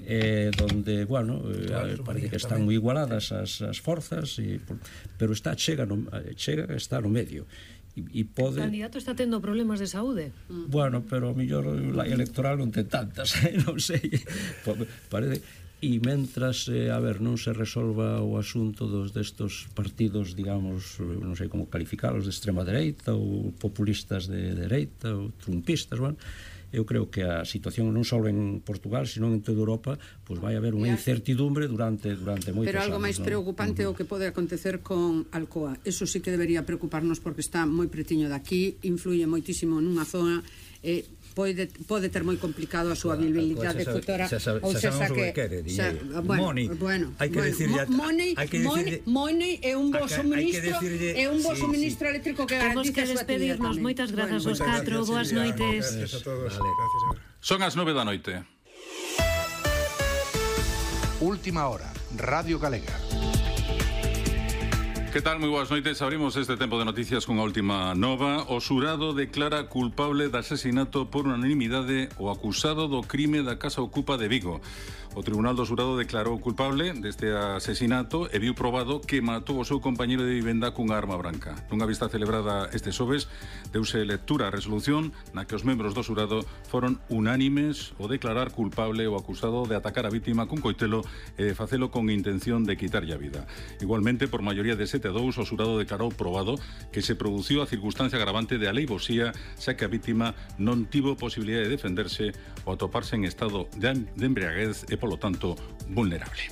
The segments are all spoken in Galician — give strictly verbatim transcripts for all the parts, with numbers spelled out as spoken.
eh, donde, bueno, eh, parece que están moi igualadas as, as forzas, e, pero está chega, no, chega está no medio. E pode... O candidato está tendo problemas de saúde. Bueno, pero o mellor la electoral non ten tantas, eh? Non sei. Parece... E mentras, eh, a ver, non se resolva o asunto dos destos partidos, digamos, non sei como calificalos, de extrema dereita ou populistas de dereita ou trumpistas, bueno, eu creo que a situación non só en Portugal, sino en toda Europa, pois vai haber unha incertidumbre durante durante moitos anos. Pero algo máis preocupante é o que pode acontecer con Alcoa. Eso sí que debería preocuparnos porque está moi pretiño daqui, influye moitísimo nunha zona, eh, pode, pode ter moi complicado a súa viabilidade futura, ou seja que money, hai que decirlle money é un bo suministro, é un bo suministro eléctrico que temos que despedirnos. Moitas grazas aos catro, boas noites. Son as nove da noite. Última hora, Radio Galega. Que tal? Moi boas noites. Abrimos este tempo de noticias con a última nova. O xurado declara culpable de asesinato por unanimidade o acusado do crime da Casa Ocupa de Vigo. O Tribunal do Xurado declarou culpable deste asesinato e viu probado que matou o seu compañeiro de vivenda cunha arma branca. Nunha vista celebrada este xoves, deuse lectura a resolución na que os membros do xurado foron unánimes o declarar culpable o acusado de atacar a vítima cun coitelo e de facelo con intención de quitarlle a vida. Igualmente, por maioría de sete a dous, o xurado declarou probado que se produciu a circunstancia agravante de aleivosía, xa que a vítima non tivo posibilidade de defenderse ou atoparse en estado de embriaguez e, polo tanto, vulnerable.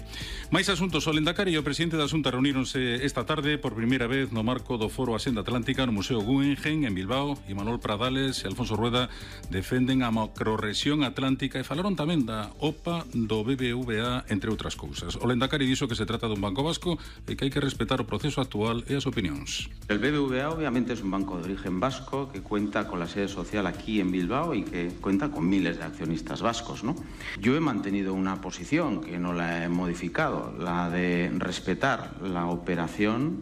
Mais asuntos. O Lendakari e o presidente da Xunta reuníronse esta tarde por primeira vez no marco do Foro Asenda Atlántica no Museo Guggenheim en Bilbao. Imanol Pradales e Alfonso Rueda defenden a macrorrexión atlántica e falaron tamén da O P A do B B V A, entre outras cousas. O Lendakari dixo que se trata dun banco vasco e que hai que respetar o proceso actual e as opinións. El B B V A obviamente es un banco de origen vasco que cuenta con la sede social aquí en Bilbao y que cuenta con miles de accionistas vascos, ¿no? Yo he mantenido una posición que no la he modificado, la de respetar la operación,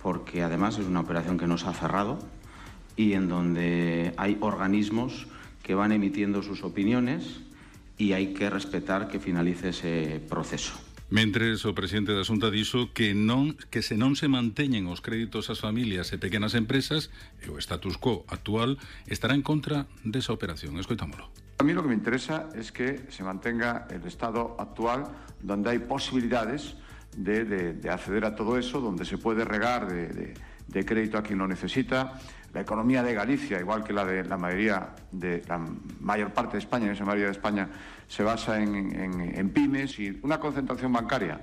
porque además es una operación que no se ha cerrado y en donde hay organismos que van emitiendo sus opiniones y hay que respetar que finalice ese proceso. Mentres o presidente da Xunta dixo que non que se non se manteñen os créditos ás familias e pequenas empresas e o status quo actual estará en contra desa operación. Escoitámolo. A mí lo que me interesa es que se mantenga el estado actual, donde hay posibilidades de, de, de acceder a todo eso, donde se puede regar de, de, de crédito a quien lo necesita. La economía de Galicia, igual que la de la mayoría de la mayor parte de España, en esa mayoría de España, se basa en, en, en pymes, y una concentración bancaria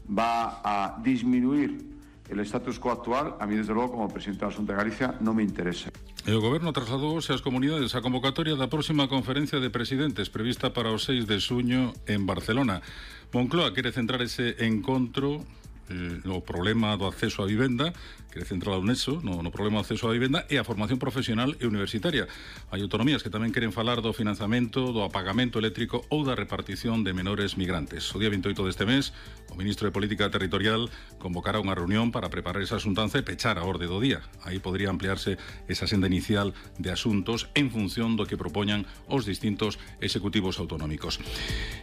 va a disminuir el status quo actual. A mí, desde luego, como presidente da Xunta de Galicia, non me interesa. E o Goberno trasladouse ás comunidades a convocatoria da próxima conferencia de presidentes prevista para o seis de xuño en Barcelona. Moncloa quere centrar ese encontro eh, no problema do acceso á vivenda, quere centrar o neso no, no problema do acceso á vivenda e a formación profesional e universitaria. Hai autonomías que tamén queren falar do financiamento, do apagamento eléctrico ou da repartición de menores migrantes. O día veintioito deste mes, o ministro de Política Territorial convocará unha reunión para preparar esa xuntanza e pechar a orde do día. Aí podría ampliarse esa senda inicial de asuntos en función do que propoñan os distintos executivos autonómicos.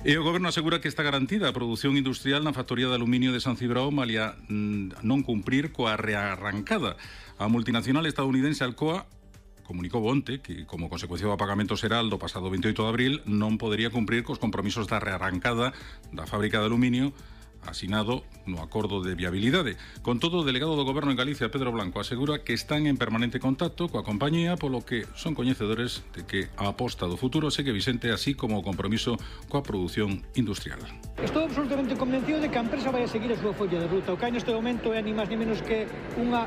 E o Goberno asegura que está garantida a produción industrial na factoría de aluminio de San Cibrao, malia non cumprir coa rearrancada. A multinacional estadounidense Alcoa comunicou onte que, como consecuencia do apagamento xeral do pasado veintioito de abril, non podería cumprir cos compromisos da rearrancada da fábrica de aluminio asinado no acordo de viabilidade. Con todo, o delegado do Goberno en Galicia, Pedro Blanco, asegura que están en permanente contacto coa compañía, polo que son coñecedores de que a aposta do futuro segue Vicente, así como o compromiso coa produción industrial. Estou absolutamente convencido de que a empresa vai a seguir a súa folla de ruta. O que hai neste momento é ni máis ni menos que unha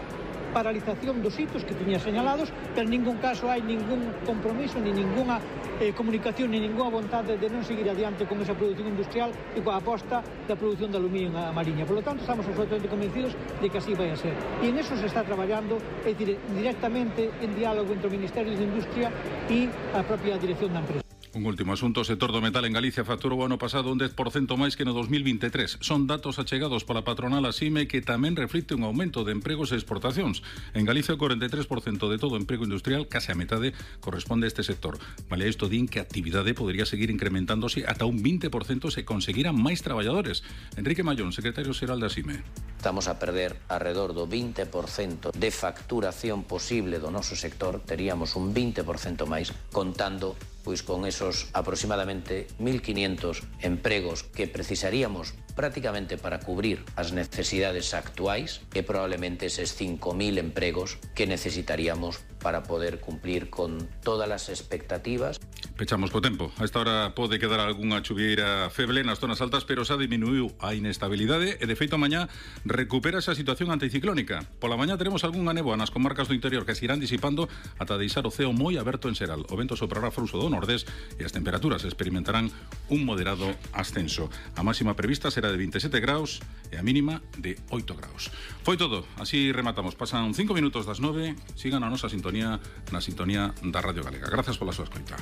paralización dos hitos que tiña señalados, pero en ningún caso hai ningún compromiso, ni ninguna eh, comunicación, ni ninguna vontade de non seguir adiante con esa produción industrial e coa aposta da produción de aluminio a Mariña. Por lo tanto, estamos absolutamente convencidos de que así vai a ser. E en eso se está traballando, é dicir, directamente en diálogo entre o Ministerio de Industria e a propia dirección da empresa. Un último asunto, o sector do metal en Galicia facturou o ano pasado un dez por cento máis que no dos mil vinte e tres. Son datos achegados pola patronal Asime que tamén reflicte un aumento de empregos e exportacións. En Galicia o corenta e tres por cento de todo o emprego industrial, case a metade, corresponde a este sector. Vale, isto din que a actividade podría seguir incrementándose ata un vinte por cento se conseguiran máis traballadores. Enrique Mallón, secretario xeral de Asime. Estamos a perder alrededor do vinte por cento de facturación posible do noso sector, teríamos un vinte por cento máis contando pois con esos aproximadamente mil quinientos empregos que precisaríamos prácticamente para cubrir as necesidades actuais e probablemente eses cinco mil empregos que necesitaríamos para poder cumplir con todas as expectativas. Pechamos co tempo. A esta hora pode quedar algunha chuvieira feble nas zonas altas, pero xa diminuiu a inestabilidade e, de feito, mañá recupera esa situación anticiclónica. Pola mañá teremos algunha néboa nas comarcas do interior que se irán disipando ata deixar o ceo moi aberto en xeral. O vento soprará frouxo do nordés e as temperaturas experimentarán un moderado ascenso. A máxima prevista será de vinte e sete graus e a mínima de oito graus. Foi todo. Así rematamos. Pasan cinco minutos das nove. Sigan a nosa sintonía na sintonía da Radio Galega. Grazas pola súa escoita.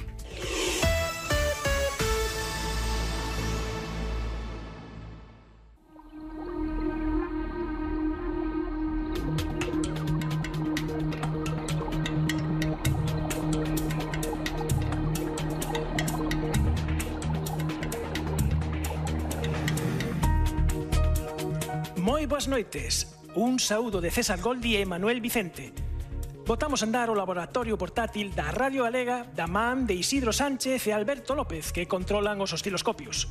Moi boas noites. Un saúdo de César Goldi e Manuel Vicente. Botamos a andar o laboratorio portátil da Radio Galega da man de Isidro Sánchez e Alberto López, que controlan os osciloscopios.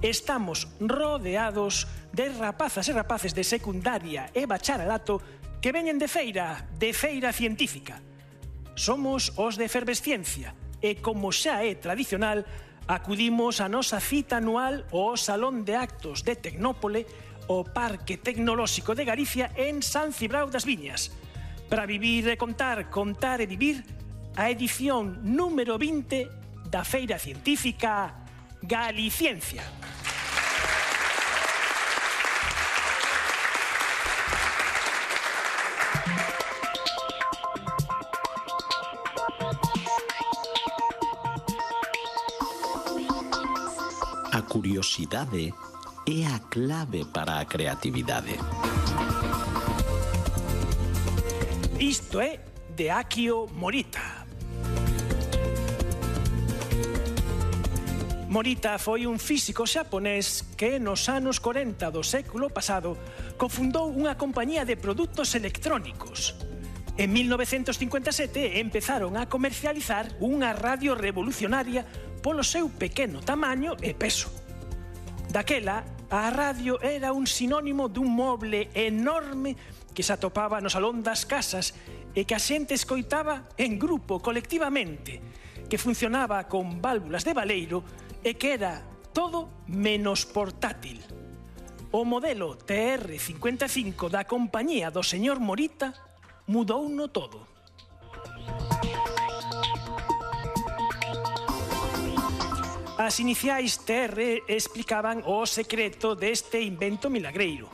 Estamos rodeados de rapazas e rapaces de secundaria e bacharelato que veñen de feira, de feira científica. Somos os de Efervesciencia e, como xa é tradicional, acudimos a nosa cita anual ao Salón de Actos de Tecnópole, o Parque Tecnolóxico de Galicia en San Cibrao das Viñas, para vivir e contar, contar e vivir a edición número vinte da Feira Científica Galiciencia. A curiosidade é a clave para a creatividade. Isto é de Akio Morita. Morita foi un físico xaponés que nos anos corenta do século pasado cofundou unha compañía de produtos electrónicos. En mil novecentos cincuenta e sete empezaron a comercializar unha radio revolucionaria polo seu pequeno tamaño e peso. Daquela, a radio era un sinónimo dun moble enorme que se atopaba no salón das casas e que a xente escoitaba en grupo, colectivamente, que funcionaba con válvulas de baleiro e que era todo menos portátil. O modelo T R cincuenta e cinco da compañía do señor Morita mudouno todo. As iniciais T R explicaban o secreto deste invento milagreiro.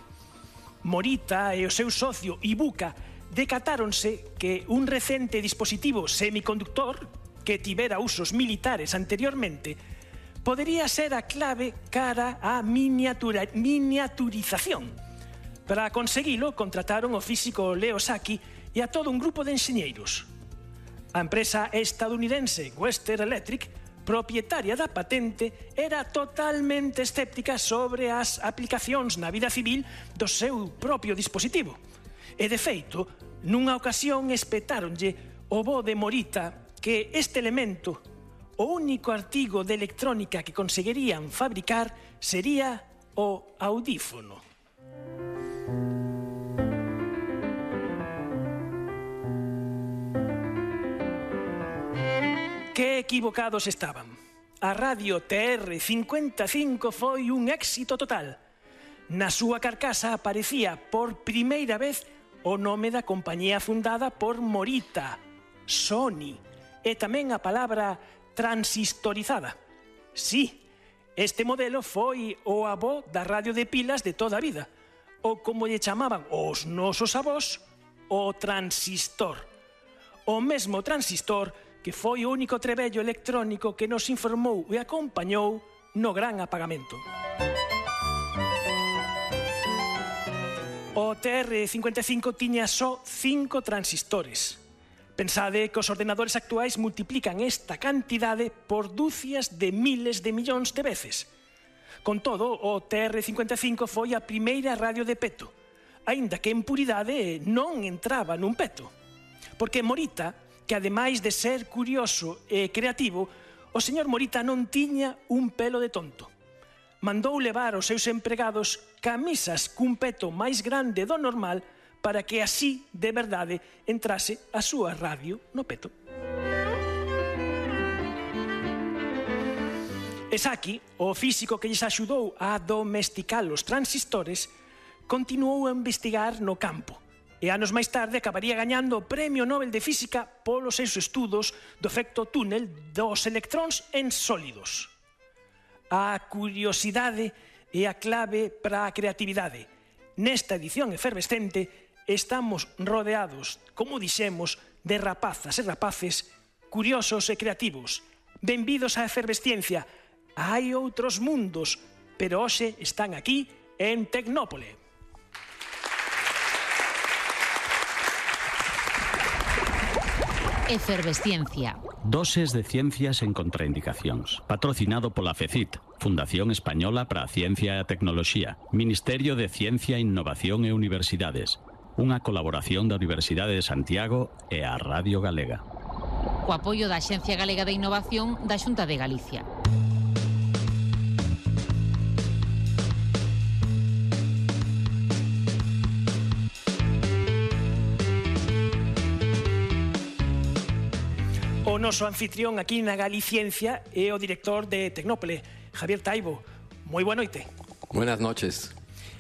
Morita e o seu socio Ibuka decatáronse que un recente dispositivo semiconductor que tivera usos militares anteriormente podería ser a clave cara á miniatura, miniaturización. Para conseguilo, contrataron o físico Leo Saki e a todo un grupo de enxeñeiros. A empresa estadounidense Western Electric, propietaria da patente, era totalmente escéptica sobre as aplicacións na vida civil do seu propio dispositivo. E, de feito, nunha ocasión espetáronlle o bo de Morita que este elemento, o único artigo de electrónica que conseguirían fabricar, sería o audífono. Que equivocados estaban. A radio T R cincuenta e cinco foi un éxito total. Na súa carcasa aparecía por primeira vez o nome da compañía fundada por Morita, Sony, e tamén a palabra transistorizada. Sí, este modelo foi o avó da radio de pilas de toda a vida, ou como lle chamaban os nosos avós, o transistor. O mesmo transistor que foi o único trebello electrónico que nos informou e acompañou no gran apagamento. O T R cincuenta e cinco tiña só cinco transistores. Pensade que os ordenadores actuais multiplican esta cantidade por dúcias de miles de millóns de veces. Con todo, o T R cincuenta e cinco foi a primeira radio de peto, aínda que en puridade non entraba nun peto. Porque Morita, que ademais de ser curioso e creativo, o señor Morita non tiña un pelo de tonto. Mandou levar aos seus empregados camisas cun peto máis grande do normal para que así, de verdade, entrase a súa radio no peto. Esaki, o físico que lles axudou a domesticar os transistores, continuou a investigar no campo e anos máis tarde acabaría gañando o Premio Nobel de Física polos seus estudos do efecto túnel dos electróns en sólidos. A curiosidade é a clave para a creatividade. Nesta edición efervescente estamos rodeados, como dixemos, de rapazas e rapaces curiosos e creativos. Benvidos á efervesciencia. Hai outros mundos, pero hoxe están aquí en Tecnópole. Efervesciencia. Doses de ciencias en contraindicacións. Patrocinado pola FECIT, Fundación Española para a Ciencia e a Tecnoloxía, Ministerio de Ciencia, Innovación e Universidades. Unha colaboración da Universidade de Santiago e a Radio Galega. Co apoio da Axencia Galega de Innovación da Xunta de Galicia. O noso anfitrión aquí na Galiciencia é o director de Tecnópole, Javier Taibo. Moi boa noite. Buenas noches.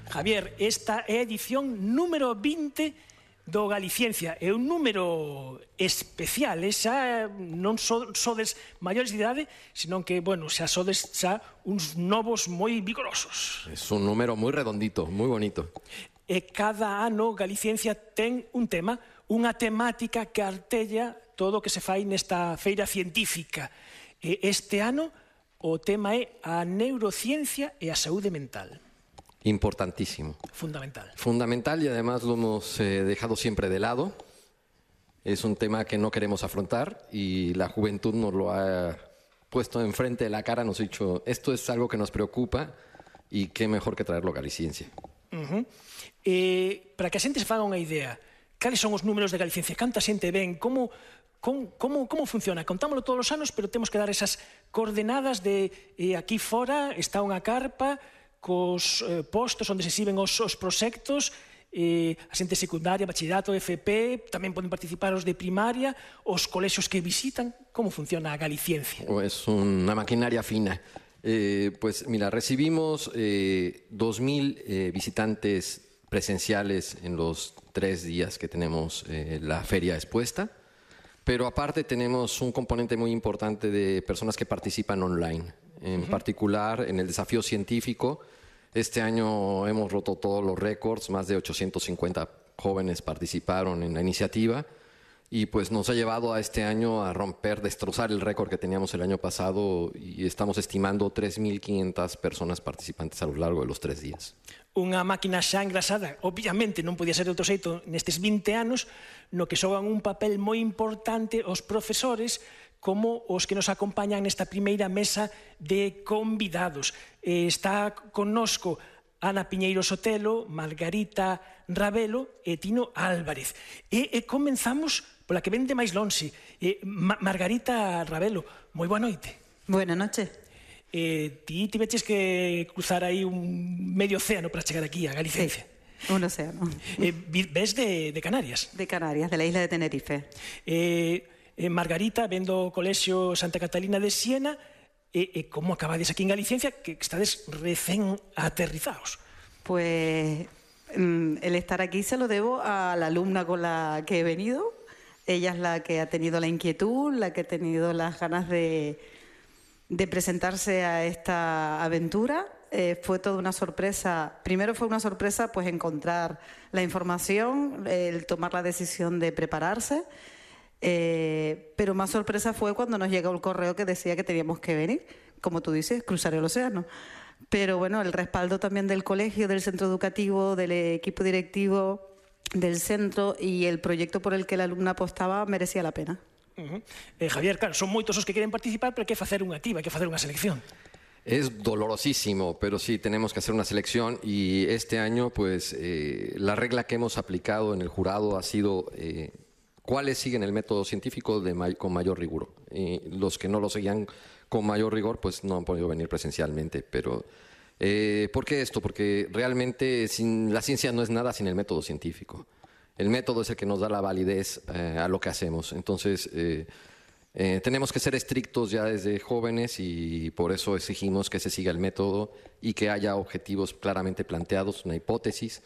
Javier, esta é a edición número vinte do Galiciencia. É un número especial, xa non sodes maiores de idade, senón que, bueno, xa sodes xa uns novos moi vigorosos. É un número moi redondito, moi bonito. E cada ano Galiciencia ten un tema, unha temática que artella todo o que se fai nesta feira científica. Este ano o tema é a neurociencia e a saúde mental. Importantísimo. Fundamental. Fundamental y además lo hemos eh, dejado siempre de lado. Es un tema que no queremos afrontar y la juventud nos lo ha puesto enfrente de la cara, nos ha dicho, esto es algo que nos preocupa y qué mejor que traerlo a Galiciencia. Uh-huh. eh, para que a xente se faga unha idea, cales son os números de Galiciencia? Canta xente ven? Como... Como, como, como funciona? Contámoslo todos os anos, pero temos que dar esas coordenadas de eh, aquí fora está unha carpa cos eh, postos onde se exhiben os, os proxectos, eh, a xente secundaria, bachillerato, F P, tamén poden participar os de primaria, os colexios que visitan. Como funciona a Galiciencia? Es unha maquinaria fina. Eh, pues mira, recibimos eh, dos mil eh, visitantes presenciales en los tres días que tenemos eh, la feria expuesta. Pero aparte tenemos un componente muy importante de personas que participan online. En uh-huh. particular, en el desafío científico, este año hemos roto todos los récords, más de ochocientos cincuenta jóvenes participaron en la iniciativa y pues nos ha llevado a este año a romper, destrozar el récord que teníamos el año pasado y estamos estimando tres mil quinientas personas participantes a lo largo de los tres días. Unha máquina xa engrasada, obviamente non podía ser de outro xeito nestes vinte anos, no que xogan un papel moi importante os profesores como os que nos acompañan nesta primeira mesa de convidados. Eh, está connosco Ana Piñeiro Sotelo, Margarita Ravelo e Tino Álvarez. E, e comenzamos pola que vende máis lonxe. Eh, Ma Margarita Ravelo, moi boa noite. Buenas noches. Eh, ti tiveches que cruzar aí un medio océano para chegar aquí a Galiciencia. Sí, un océano. Eh, ves de, de Canarias? De Canarias, de la isla de Tenerife. Eh, eh, Margarita, vendo o Colexio Santa Catalina de Siena, e eh, eh, como acabades aquí en Galiciencia, que estades recén aterrizados? Pues mm, el estar aquí se lo debo a la alumna con la que he venido. Ella es la que ha tenido la inquietud, la que ha tenido las ganas de... de presentarse a esta aventura. Eh, fue toda una sorpresa. Primero fue una sorpresa pues encontrar la información, el tomar la decisión de prepararse Eh, pero más sorpresa fue cuando nos llegó el correo que decía que teníamos que venir, como tú dices, cruzar el océano. Pero bueno, el respaldo también del colegio, del centro educativo, del equipo directivo, del centro y el proyecto por el que la alumna apostaba merecía la pena. Uh-huh. eh, Javier, claro, son moitos os que queren participar, pero hai que facer unha activa, hai que facer unha selección. Es dolorosísimo, pero sí, tenemos que hacer una selección y este año, pues, eh, la regla que hemos aplicado en el jurado ha sido eh, cuáles siguen el método científico de may- con mayor rigor. Y los que no lo seguían con mayor rigor, pues no han podido venir presencialmente. Pero, eh, ¿por qué esto? Porque realmente sin, la ciencia no es nada sin el método científico. El método es el que nos da la validez eh, a lo que hacemos. Entonces, eh, eh, tenemos que ser estrictos ya desde jóvenes y por eso exigimos que se siga el método y que haya objetivos claramente planteados, una hipótesis.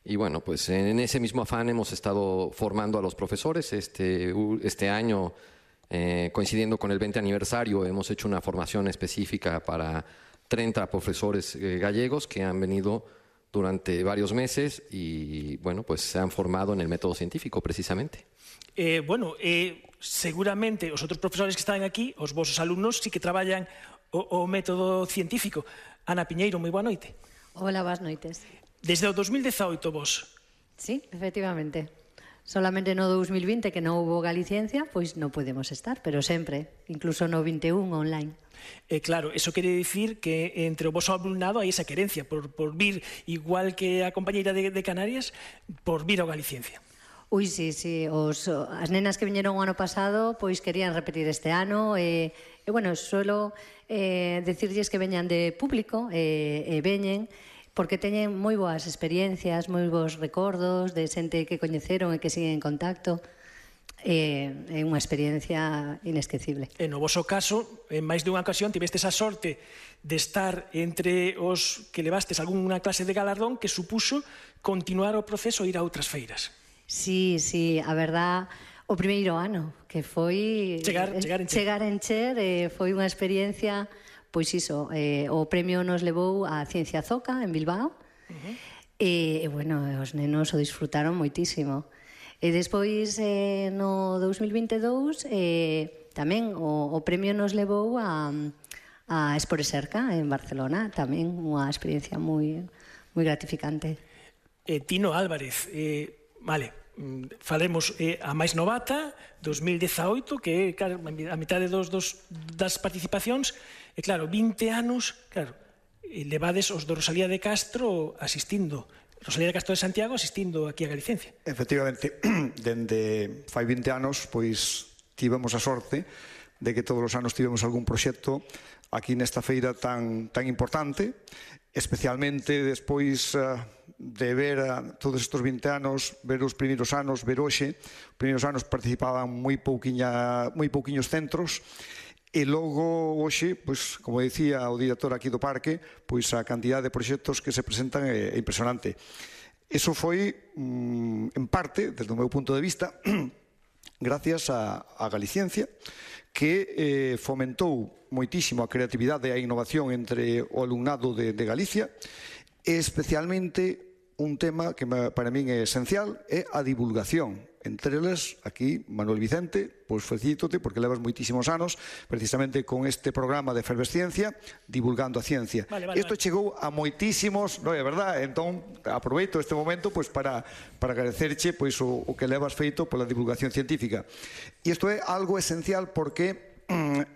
Y bueno, pues en ese mismo afán hemos estado formando a los profesores. Este, este año, eh, coincidiendo con el veinte aniversario, hemos hecho una formación específica para treinta profesores eh, gallegos que han venido durante varios meses y bueno, pues se han formado en el método científico precisamente. Eh, bueno, eh, seguramente os outros profesores que están aquí, os vosos alumnos, sí que traballan o, o método científico. Ana Piñeiro, moi boa noite. Hola, boas noites. Desde o dos mil dezaoito vos. Sí, efectivamente. Solamente no dos mil vinte que non hubo Galiciencia, pois non podemos estar, pero sempre, incluso no vinte e un online. Eh, claro, eso quere dicir que entre o voso alumnado hai esa querencia por, por vir, igual que a compañeira de, de Canarias, por vir ao Galiciencia. Ui, sí, sí, os, as nenas que viñeron o ano pasado pois querían repetir este ano e, e bueno, suelo eh, decirlles que veñan de público e, e veñen porque teñen moi boas experiencias, moi bons recordos de xente que coñeceron e que siguen en contacto. É, é unha experiencia inesquecible. E no voso caso, en máis de unha ocasión, tivestes a sorte de estar entre os que levastes algunha clase de galardón que supuso continuar o proceso e ir a outras feiras. Sí, sí, a verdad, o primeiro ano, que foi chegar, chegar en Cher, chegar en Cher eh, foi unha experiencia, pois iso, eh, o premio nos levou a Ciencia Zoca en Bilbao, uh-huh. e, e, bueno, os nenos o disfrutaron moitísimo. E despois, eh, no dos mil vinte e dous, eh, tamén o, o premio nos levou a, a Esporeserca en Barcelona, tamén unha experiencia moi, moi gratificante. Eh, Tino Álvarez, eh, vale, falemos eh, a máis novata, dos mil dezaoito, que é claro, a mitad dos, dos, das participacións, e claro, vinte anos, claro, levades os do Rosalía de Castro asistindo, Rosalía de Castro de Santiago asistindo aquí a Galicencia. Efectivamente, dende fai vinte anos, pois tivemos a sorte de que todos os anos tivemos algún proxecto aquí nesta feira tan, tan importante, especialmente despois uh, de ver uh, todos estes vinte anos, ver os primeiros anos, ver hoxe, os primeiros anos participaban moi pouquiña, moi pouquiños centros, e logo hoxe, pois, como dicía o director aquí do parque, pois a cantidad de proxectos que se presentan é, é impresionante. Eso foi, mm, en parte, desde o meu punto de vista, gracias a, a Galiciencia, que eh, fomentou moitísimo a creatividade e a innovación entre o alumnado de, de Galicia, e especialmente un tema que para min é esencial é a divulgación. Entre eles, aquí, Manuel Vicente, pois felicítote porque levas moitísimos anos precisamente con este programa de efervesciencia divulgando a ciencia. Vale, vale, Isto vale. chegou a moitísimos, non é verdad? Entón, aproveito este momento pois para, para agradecerche pois, o, o que levas feito pola divulgación científica. E isto é algo esencial porque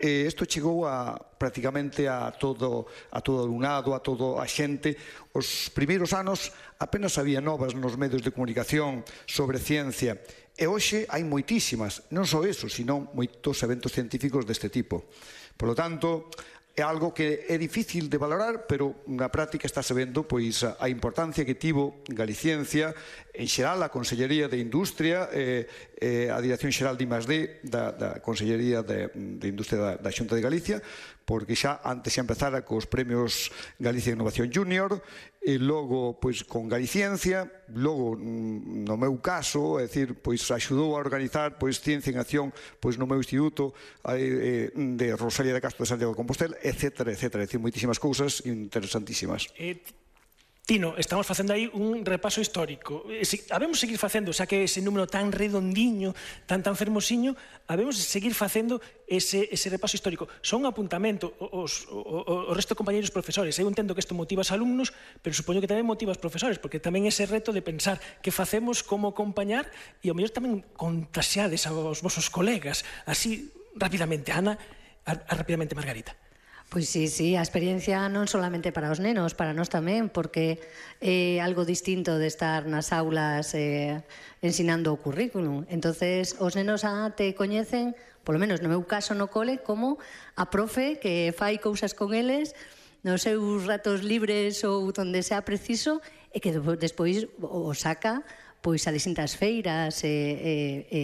eh, isto chegou a prácticamente a todo a todo o alumnado, a todo a xente. Os primeiros anos apenas había novas nos medios de comunicación sobre ciencia e hoxe hai moitísimas, non só eso, sino moitos eventos científicos deste tipo. Por lo tanto, é algo que é difícil de valorar, pero na práctica está se vendo pois a importancia que tivo Galiciencia, en xeral a Consellería de Industria, eh, eh, a Dirección Xeral de I más D da, da Consellería de, de Industria da, da Xunta de Galicia, porque xa antes xa empezara cos premios Galicia Innovación Junior, e logo pois con Galiciencia, logo no meu caso, é dicir, pois axudou a organizar pois Ciencia en Acción pois no meu instituto eh, de Rosalía de Castro de Santiago de Compostela, etcétera, etcétera, é dicir, moitísimas cousas interesantísimas. Eh, Tino, estamos facendo aí un repaso histórico. Habemos seguir facendo, xa que ese número tan redondiño, tan tan fermosiño, habemos seguir facendo ese, ese repaso histórico. Son un apuntamento, os, o, o resto de compañeros profesores. Eu entendo que isto motiva aos alumnos, pero supoño que tamén motiva aos profesores, porque tamén ese reto de pensar que facemos, como acompañar, e ao mellor tamén contaxiades aos vosos colegas. Así, rapidamente, Ana, a, a rapidamente, Margarita. Pois sí, sí, a experiencia non solamente para os nenos, para nós tamén, porque é algo distinto de estar nas aulas eh, ensinando o currículum. Entonces, os nenos a te coñecen, polo menos no meu caso no cole, como a profe que fai cousas con eles nos seus ratos libres ou onde sea preciso e que despois o saca pois a distintas feiras e, e, e,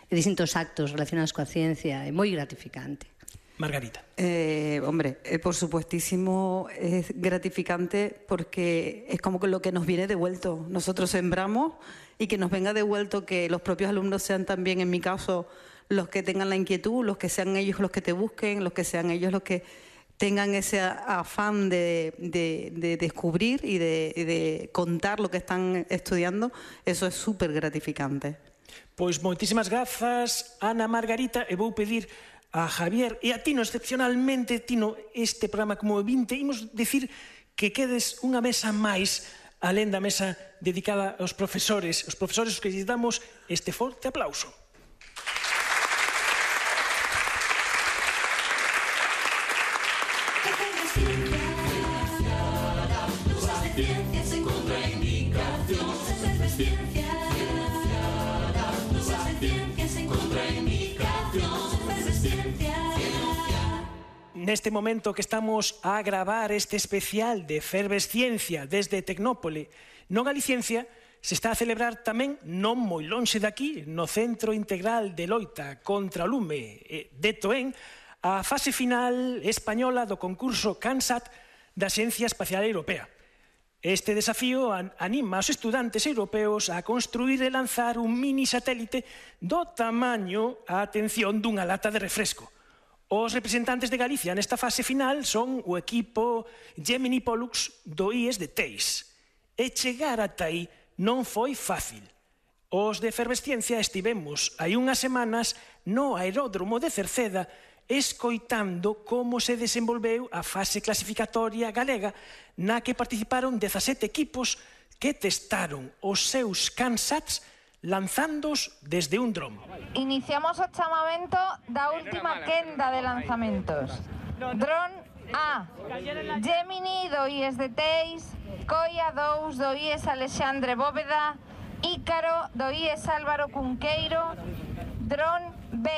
e distintos actos relacionados coa ciencia. É moi gratificante. Margarita. Eh, hombre, eh, por supuestísimo es gratificante porque es como que lo que nos viene devuelto. Nosotros sembramos y que nos venga devuelto, que los propios alumnos sean también, en mi caso, los que tengan la inquietud, los que sean ellos los que te busquen, los que sean ellos los que tengan ese afán de, de, de descubrir y de, de contar lo que están estudiando. Eso es súper gratificante. Pois moitísimas grazas, Ana, Margarita, e vou pedir a Javier e a Tino, excepcionalmente, Tino, este programa como vinte, imos decir que quedes unha mesa máis alén da mesa dedicada aos profesores, os profesores que lles damos este forte aplauso. Neste momento que estamos a gravar este especial de Efervesciencia desde Tecnópole, no Galiciencia, se está a celebrar tamén, non moi lonxe daqui, no Centro Integral de Loita contra o Lume de Toén, a fase final española do concurso CANSAT da Axencia Espacial Europea. Este desafío anima aos estudantes europeos a construir e lanzar un mini satélite do tamaño, a atención, dunha lata de refresco. Os representantes de Galicia nesta fase final son o equipo Gemini Pollux do I E S de Teis. E chegar ata aí non foi fácil. Os de Efervesciencia estivemos hai unhas semanas no aeródromo de Cerceda escoitando como se desenvolveu a fase clasificatoria galega na que participaron dezasete equipos que testaron os seus CANSATs lanzándoos desde un dron. Iniciamos o chamamento da última quenda de lanzamentos. Dron A, Gemini do I E S de Teis, Coia dous do I E S Alexandre Bóveda, Ícaro do I E S Álvaro Cunqueiro, Dron B,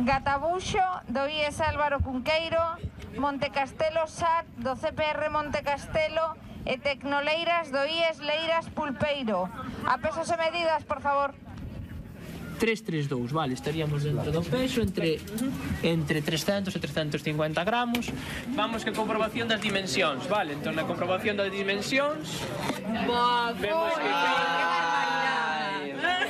Gatabuxo do I E S Álvaro Cunqueiro, Montecastelo S A T do C P R Montecastelo e Tecnoleiras do I E S Leiras Pulpeiro. A pesos e medidas, por favor. tres tres dous, vale, estaríamos dentro do peso entre entre trescentos e trescentos e cincuenta gramos. Vamos que comprobación das dimensións, vale, entón na comprobación das dimensións vemos que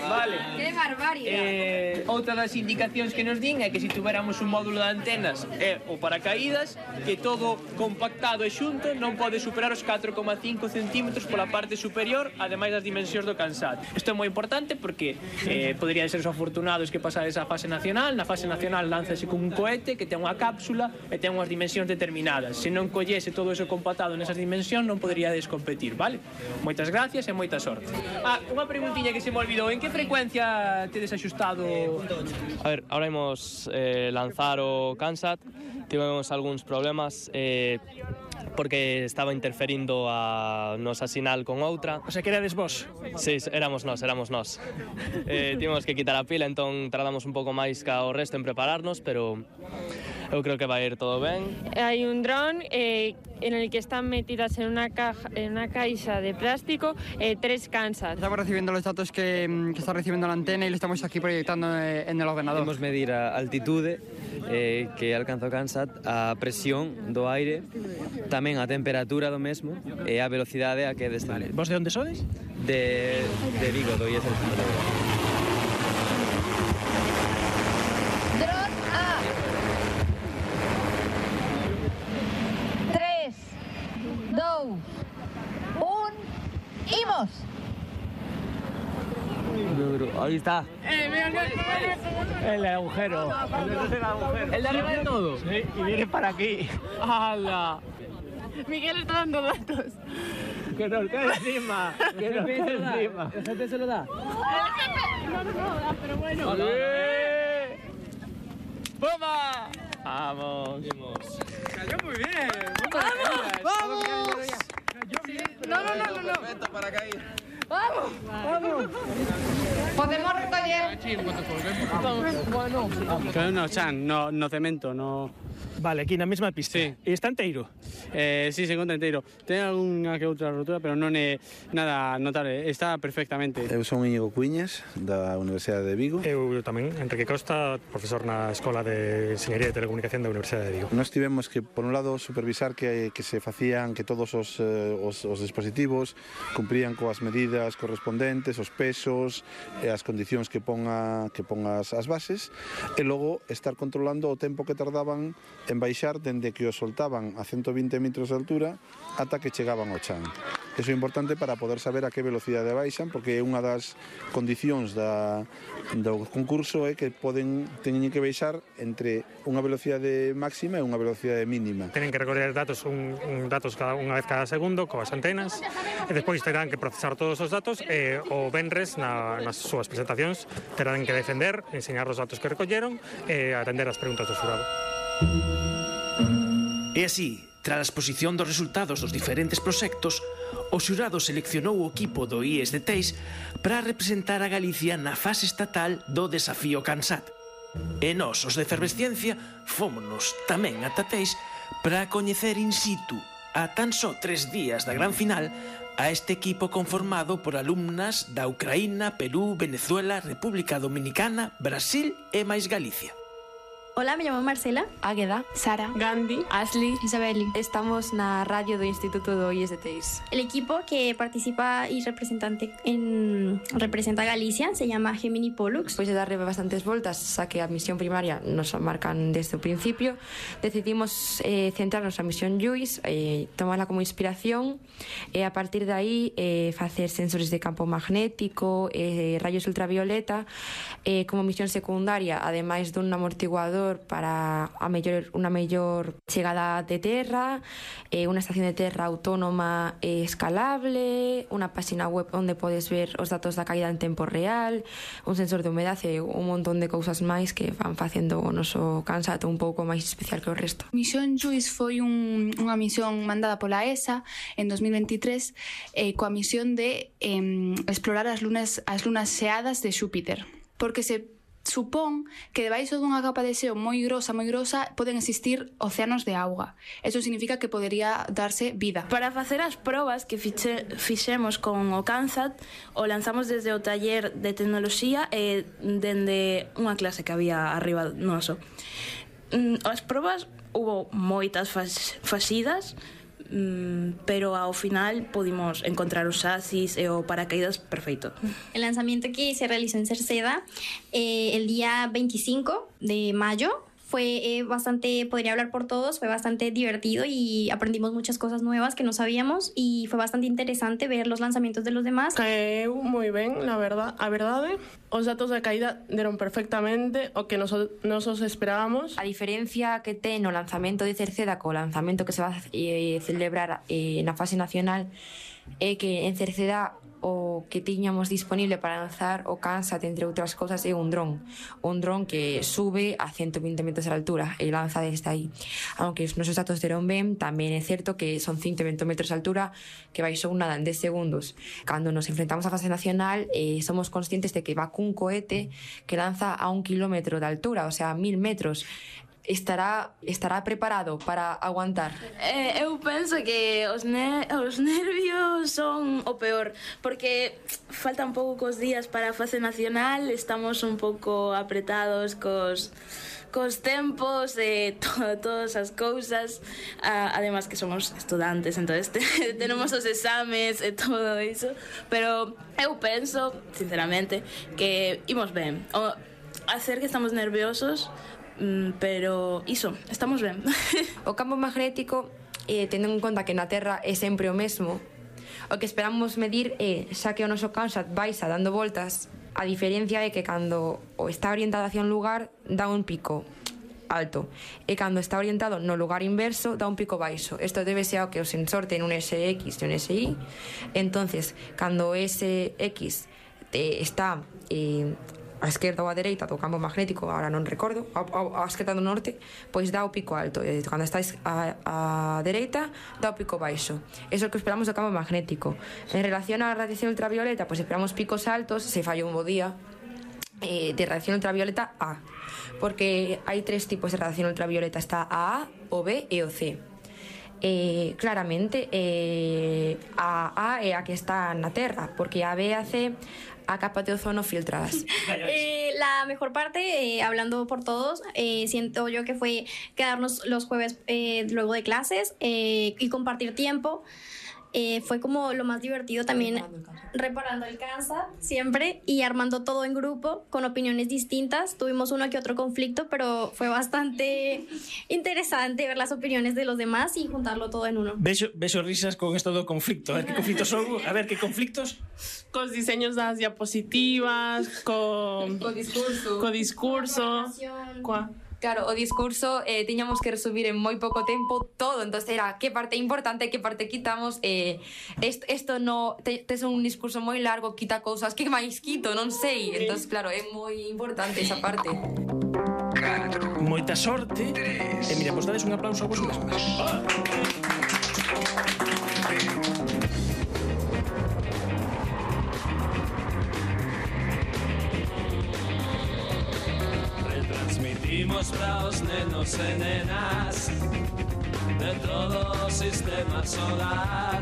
vale. Que barbaridade. Eh, outra das indicacións que nos din é que se tuveramos un módulo de antenas e o paracaídas, que todo compactado e xunto non pode superar os catro coma cinco centímetros pola parte superior, ademais das dimensións do CANSAT. Isto é moi importante porque eh, poderían ser os afortunados que pasades a fase nacional. Na fase nacional lánzase con un cohete que ten unha cápsula e ten unhas dimensións determinadas. Se non collese todo eso compactado nesas dimensións non poderíades competir, vale? Moitas gracias e moita sorte. Ah, unha preguntiña que se me olvidou. En que frecuencia tedes axustado? A ver, ahora imos eh, lanzar o CANSAT. Tivemos algúns problemas eh, porque estaba interferindo a nosa sinal con outra. O sea, que erades vos? Sí, éramos nós, éramos nós. Eh, tivemos que quitar a pila, entón tardamos un pouco máis ca o resto en prepararnos, pero eu creo que vai ir todo ben. Hai un dron eh, en el que están metidas en una caja, en una caixa de plástico eh, tres CANSAT. Estamos recibiendo los datos que, que está recibiendo la antena y lo estamos aquí proyectando en el ordenador. Podemos medir a altitude eh, que alcanza o CANSAT, a presión do aire, tamén a temperatura do mesmo e a velocidade a que descende. Vos de onde sodes? De, de Vigo, do I E S Alexandre Bóveda. Dron A. tres, dous, Ahí está. Eh, mira, El agujero. ¿El de arriba de todo? Sí, y viene para aquí. ¡Hala! Miguel está dando datos. Que nos cae encima. Que nos cae encima. ¿El jefe se lo da? No, no, no, pero bueno. ¡Pumba! Vamos. Cayó muy bien. ¡Vamos! ¡Vamos! No, no, no, no, no. Perfecto para caer. ¡Vamos! ¡Vamos! Podemos recoger. Bueno. Que no, chan, no, no cemento, no... Vale, aquí na mesma pista. Sí. E está enteiro? Eh, sí, se encontra inteiro. Ten algunha que outra rotura, pero non é nada notable. Está perfectamente. Eu son Íñigo Cuíñez, da Universidade de Vigo. Eu tamén, Enrique Costa, profesor na Escola de Enxeñería de Telecomunicación da Universidade de Vigo. Nós tivemos que, por un lado, supervisar que, que se facían, que todos os, eh, os, os dispositivos cumprían coas medidas correspondentes, os pesos e as condicións que ponga que pongas as bases, e logo estar controlando o tempo que tardaban en baixar dende que os soltaban a ciento vinte metros de altura ata que chegaban ao chan. Eso é importante para poder saber a que velocidade baixan, porque unha das condicións da, do concurso é que poden teñen que baixar entre unha velocidade máxima e unha velocidade mínima. Tenen que recorrer datos un, un datos cada unha vez cada segundo coas antenas e despois terán que procesar todos os datos e o venres na, nas súas presentacións terán que defender, enseñar os datos que recolleron e atender as preguntas do xurado. E así, tras a exposición dos resultados dos diferentes proxectos, o xurado seleccionou o equipo do I E S de Teis para representar a Galicia na fase estatal do desafío CANSAT. E nós, os de Efervesciencia, fómonos tamén ata Teis para coñecer in situ, a tan só tres días da gran final, a este equipo conformado por alumnas da Ucraína, Perú, Venezuela, República Dominicana, Brasil e máis Galicia. Hola, me llamo Marcela, Águeda, Sara, Gandhi, Ashley, Isabeli. Estamos na radio do Instituto do I E S de Teis. El equipo que participa y representante en, representa a Galicia se llama Gemini Pollux. Despois de darle bastantes voltas, xa que a misión primaria nos marcan desde o principio, decidimos eh, centrarnos na misión Lluís, eh, tomarla como inspiración e a partir de aí eh, facer sensores de campo magnético, eh, rayos ultravioleta, eh, como misión secundaria, ademais dun amortiguador para a mellor, unha mellor chegada de terra, eh, unha estación de terra autónoma e escalable, unha página web onde podes ver os datos da caída en tempo real, un sensor de humedade e un montón de cousas máis que van facendo o noso CANSAT un pouco máis especial que o resto. Misión Lluís foi un, unha misión mandada pola E S A en dos mil veintitrés eh, coa misión de eh, explorar as lunas, as lunas xeadas de Xúpiter, porque se supón que debaixo dunha capa de xeo moi grosa, moi grosa, poden existir océanos de auga. Eso significa que podería darse vida. Para facer as probas que fiche, fixemos con o CANSAT, o lanzamos desde o taller de tecnoloxía e dende unha clase que había arriba noso. As probas hubo moitas faxidas, pero ao final pudimos encontrar os chasis e o paracaídas perfeito. El lanzamiento que se realizó en Cerceda eh, el día veinticinco de mayo fue eh, bastante, podría hablar por todos, fue bastante divertido y aprendimos muchas cosas nuevas que no sabíamos y fue bastante interesante ver los lanzamientos de los demás. Caeu moi ben, na verdad, a verdade. Os datos da caída deron perfectamente o que nos, nos os esperábamos. A diferencia que ten o lanzamento de Cerceda co lanzamento que se va a eh, celebrar eh, na fase nacional é que en Cerceda o que tiñamos disponible para lanzar o CANSAT, entre outras cousas, é un dron. Un dron que sube a ciento vinte metros de altura e lanza desde aí. Aunque os nosos datos deron ben, tamén é certo que son ciento vinte metros de altura que baixou nada en dez segundos. Cando nos enfrentamos á fase nacional, eh, somos conscientes de que va cun cohete que lanza a un kilómetro de altura, o sea, mil metros. Estará, estará preparado para aguantar? Eh, eu penso que os, ne os nervios son o peor, porque faltan poucos días para a fase nacional, estamos un pouco apretados cos, cos tempos e to todas as cousas, ah, además que somos estudantes, entonces te tenemos os exames e todo iso, pero eu penso, sinceramente, que imos ben. O hacer que estamos nerviosos, pero iso, estamos ben. O campo magnético, eh, tendo en conta que na Terra é sempre o mesmo, o que esperamos medir é, xa que o noso Kansat baixa dando voltas, a diferencia é que cando o está orientado hacia un lugar dá un pico alto e cando está orientado no lugar inverso dá un pico baixo. Isto débese ao que o sensor ten un S X e un S Y, entonces cando o S X eh, está eh, a esquerda ou a dereita do campo magnético, agora non recordo, a, a, a esquerda do norte, pois dá o pico alto, e cando está a, a dereita dá o pico baixo. Eso é o que esperamos do campo magnético. En relación á radiación ultravioleta, pois esperamos picos altos se falla un bo día, eh, de radiación ultravioleta A, porque hai tres tipos de radiación ultravioleta, está a A, o B e o C. Eh, claramente eh, a A é a que está na Terra, porque a B e a C a capa de ozono filtradas. Eh, la mejor parte, eh, hablando por todos, eh, siento yo que fue quedarnos los jueves eh, luego de clases eh, y compartir tiempo. Eh, fue como lo más divertido también, reparando el Kansat siempre y armando todo en grupo con opiniones distintas. Tuvimos uno que otro conflicto, pero fue bastante interesante ver las opiniones de los demás y juntarlo todo en uno. Vexo, vexo risas con esto do conflicto. A ver que conflictos son, a ver que conflictos. Cos diseños das diapositivas, co co discurso, co discurso, coa Claro, o discurso eh, tiñamos que resumir en moi pouco tempo todo, entonces era que parte importante, que parte quitamos, eh, esto, esto no, te, tes un discurso moi largo, quita cousas, que máis quito, non sei, entonces claro, é moi importante esa parte. Moita sorte, e mira, vos dades un aplauso a vos mesmos. Ah. Transmitimos para os nenos e nenas de todo o sistema solar.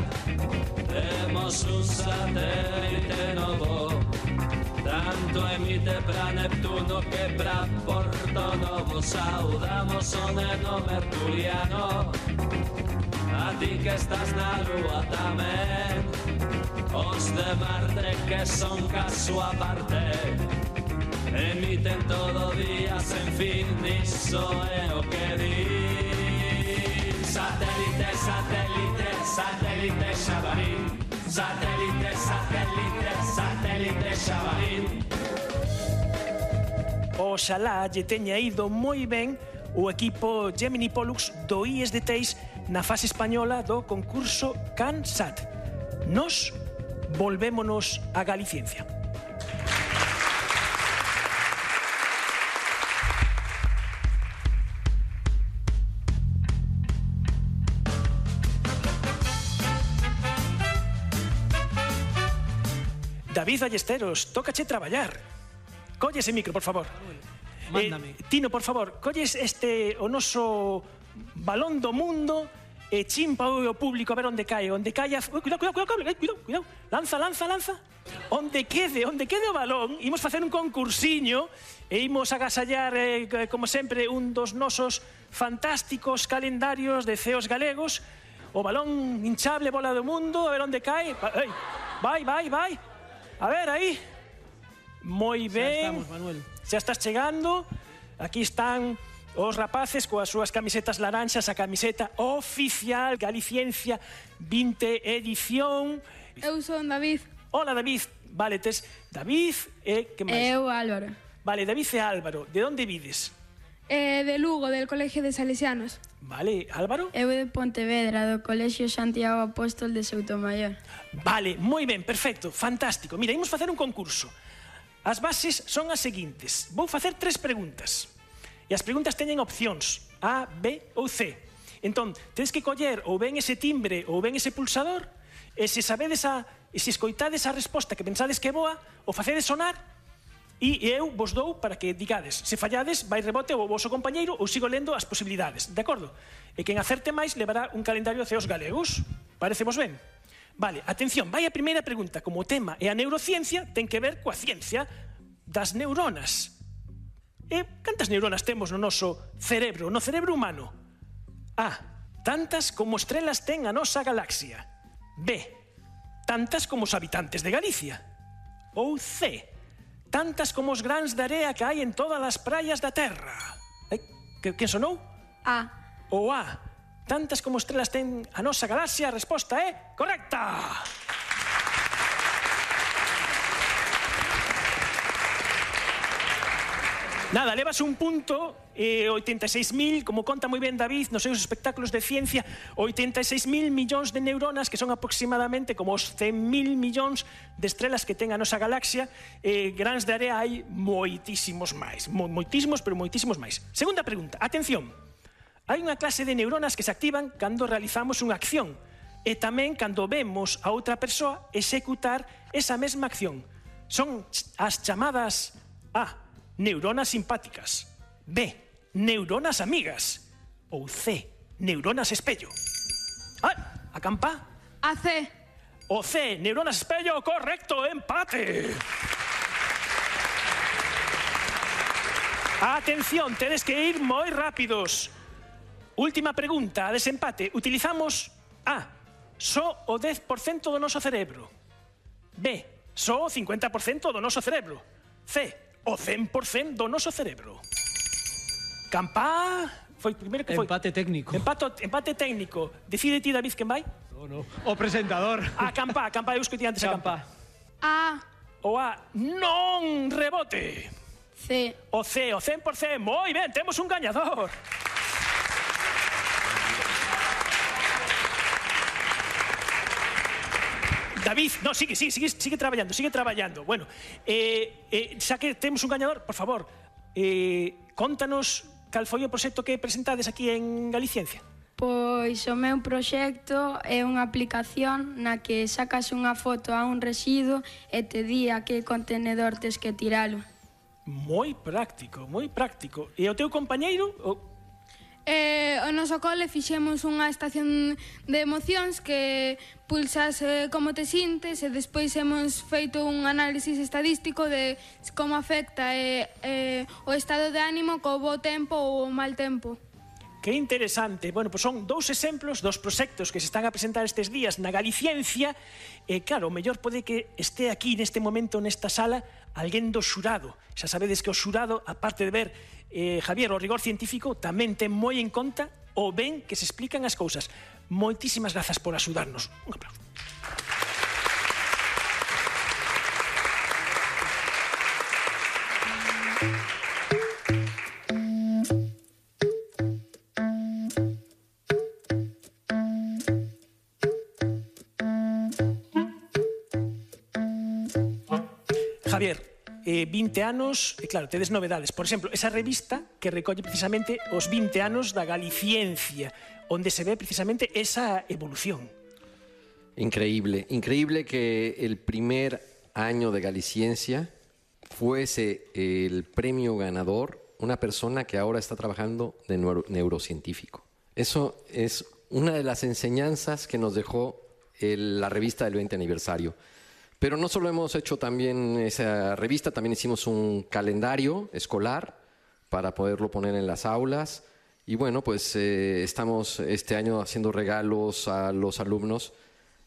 Temos un satélite novo, tanto emite para Neptuno que para Porto Novo. Saudamos o neno mercuriano, a ti que estás na lúa tamén, os de Marte que son caso aparte, emiten todo día sen fin, iso é o que din. Satélite, satélite, satélite Xabarín. Satélite, satélite, satélite Xabarín. Oxalá lle teña ido moi ben o equipo Gemini Pollux do I E S de Teis na fase española do concurso Kansat. Nos volvémonos a Galiciencia. David Ballesteros, tócache traballar. Colle ese micro, por favor. Mándame. Eh, Tino, por favor, colles este o noso balón do mundo e chimpa o público a ver onde cae, onde cae a... Uy, cuidado, cuidado, cuidado, cuidado, cuidado. Lanza, lanza, lanza. Onde quede, onde quede o balón, imos facer un concursiño e imos agasallar, eh, como sempre, un dos nosos fantásticos calendarios de ceos galegos. O balón hinchable, bola do mundo, a ver onde cae. Vai, vai, vai. A ver, aí. Moi ben. Xa estamos, Manuel. Xa estás chegando. Aquí están os rapaces coas súas camisetas laranxas, a camiseta oficial Galiciencia vinte edición. Eu son David. Hola, David. Vale, tes David e que máis? Eu Álvaro. Vale, David e Álvaro. De onde vides? Eh, de Lugo, del Colegio de Salesianos. Vale, Álvaro? Eu de Pontevedra, do Colexio Santiago Apóstol de Soutomaior. Vale, moi ben, perfecto, fantástico. Mira, imos facer un concurso. As bases son as seguintes. Vou facer tres preguntas. E as preguntas teñen opcións A, B ou C. Entón, tedes que coller ou ben ese timbre ou ben ese pulsador, e se sabedes a, e se escoitades a resposta que pensades que é boa, o facedes sonar, e eu vos dou para que digades. Se fallades, vai rebote o voso compañeiro ou sigo lendo as posibilidades, de acordo? E quen acerte máis levará un calendario de ceos galegos. Parecemos ben? Vale, atención, vai a primeira pregunta. Como o tema é a neurociencia, ten que ver coa ciencia das neuronas. E cantas neuronas temos no noso cerebro, no cerebro humano? A. Tantas como estrelas ten a nosa galaxia. B. Tantas como os habitantes de Galicia. Ou C. Tantas como os grans de area que hai en todas as praias da Terra. Eh, que, que sonou? A. O A. Tantas como estrelas ten a nosa galaxia, a resposta é correcta. Nada, levas un punto, eh, oitenta e seis mil, como conta moi ben David nos seus espectáculos de ciencia, oitenta e seis mil millóns de neuronas, que son aproximadamente como os cen mil millóns de estrelas que ten a nosa galaxia. Eh, grans de area hai moitísimos máis, mo, moitísimos, pero moitísimos máis. Segunda pregunta, atención. Hai unha clase de neuronas que se activan cando realizamos unha acción e tamén cando vemos a outra persoa executar esa mesma acción. Son as chamadas A, neuronas simpáticas, B, neuronas amigas ou C, neuronas espello. Ah, a campa? A C. O C, neuronas espello, correcto, empate. Atención, tedes que ir moi rápidos. Última pregunta, a desempate. Utilizamos A, só o dez por cento do noso cerebro. B, só o cincuenta por cento do noso cerebro. C, o cen por cento do noso cerebro. Campa... Foi primeiro que foi... Empate técnico. Empato, empate técnico. Decide ti, David, quen vai? No, no. O presentador. A campa, a campa, eu escutei antes a campa. A. O A, non rebote. C. O C, o cen por cento. Moi ben, temos un gañador. David, no, sigue, sigue, sigue, sigue traballando, sigue traballando. Bueno, eh, eh, xa que temos un gañador, por favor, eh, contanos cal foi o proxecto que presentades aquí en Galiciencia. Pois o meu proxecto é unha aplicación na que sacas unha foto a un residuo e te di a que contenedor tes que tiralo. Moi práctico, moi práctico. E o teu compañeiro... O... Eh, o noso cole fixemos unha estación de emocións que pulsas eh, como te sintes e despois hemos feito un análisis estadístico de como afecta eh, eh, o estado de ánimo co bo tempo ou o mal tempo. Que interesante. Bueno, pois son dous exemplos dos proxectos que se están a presentar estes días na Galiciencia. E claro, o mellor pode que este aquí neste momento nesta sala alguén do xurado. Xa sabedes que o xurado, aparte de ver eh, Javier, o rigor científico, tamén ten moi en conta o ben que se explican as cousas. Moitísimas grazas por axudarnos. Un aplauso. Javier, eh, vinte anos, e claro, tedes novedades. Por exemplo, esa revista que recolle precisamente os vinte anos da Galiciencia, onde se ve precisamente esa evolución. Increíble, increíble que el primer año de Galiciencia fuese el premio ganador una persona que ahora está trabajando de neuro, neurocientífico. Eso es una de las enseñanzas que nos dejó el, la revista del veinte aniversario. Pero no solo hemos hecho también esa revista, también hicimos un calendario escolar para poderlo poner en las aulas. Y bueno, pues eh, estamos este año haciendo regalos a los alumnos,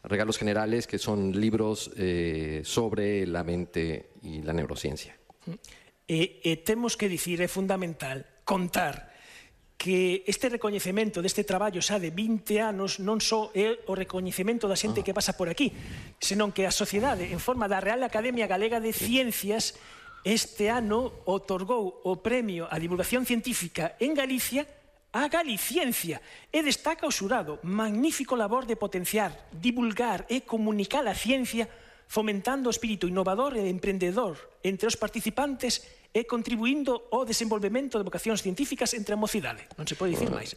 regalos generales, que son libros eh, sobre la mente y la neurociencia. E, e temos que dicir, é fundamental contar que este recoñecemento deste traballo xa de vinte anos non só é o recoñecemento da xente que pasa por aquí, senón que a sociedade, en forma da Real Academia Galega de Ciencias, este ano otorgou o premio a divulgación científica en Galicia a Galiciencia e destaca o xurado magnífico labor de potenciar, divulgar e comunicar a ciencia fomentando o espírito innovador e emprendedor entre os participantes e contribuindo ao desenvolvemento de vocacións científicas entre a mocidade. Non se pode dicir máis.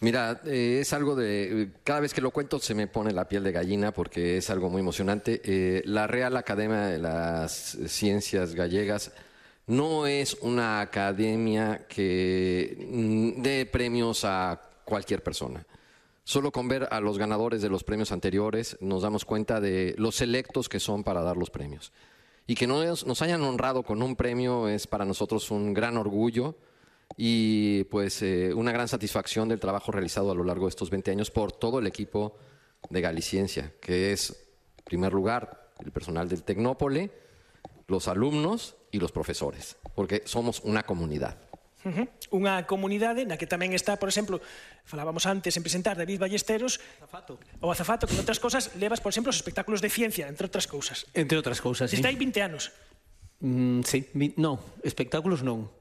Mira, eh, es algo de... Cada vez que lo cuento se me pone la piel de gallina porque es algo muy emocionante. Eh, la Real Academia de las Ciencias Gallegas no es una academia que dé premios a cualquier persona. Solo con ver a los ganadores de los premios anteriores nos damos cuenta de los selectos que son para dar los premios. Y que nos, nos hayan honrado con un premio es para nosotros un gran orgullo y pues eh, una gran satisfacción del trabajo realizado a lo largo de estos veinte años por todo el equipo de Galiciencia, que es, en primer lugar, el personal del Tecnópole, los alumnos y los profesores, porque somos una comunidad. Uh-huh. Unha comunidade na que tamén está, por exemplo, falábamos antes en presentar David Ballesteros, azafato. O azafato, que en outras cosas levas, por exemplo, os espectáculos de ciencia, entre outras cousas. Entre outras cousas, sí. Está aí vinte anos. Mm, sí, vi, no, espectáculos non.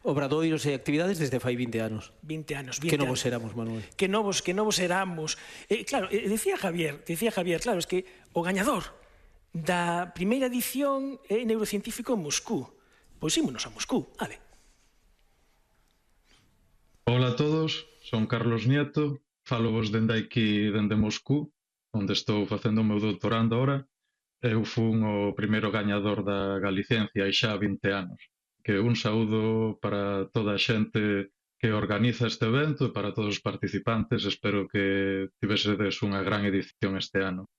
obradoiros e actividades desde fai vinte anos. vinte anos, Que vinte novos anos. éramos, Manuel. Que novos, que novos éramos. Eh, claro, eh, decía Javier, decía Javier, claro, es que o gañador da primeira edición é neurocientífico en Moscú. Pois ímonos a Moscú, vale. Hola a todos, son Carlos Nieto, falo vos dende aquí, dende Moscú, onde estou facendo o meu doutorando ahora. Eu fun o primeiro gañador da Galiciencia hai xa vinte anos. Que un saúdo para toda a xente que organiza este evento e para todos os participantes. Espero que tivesedes unha gran edición este ano.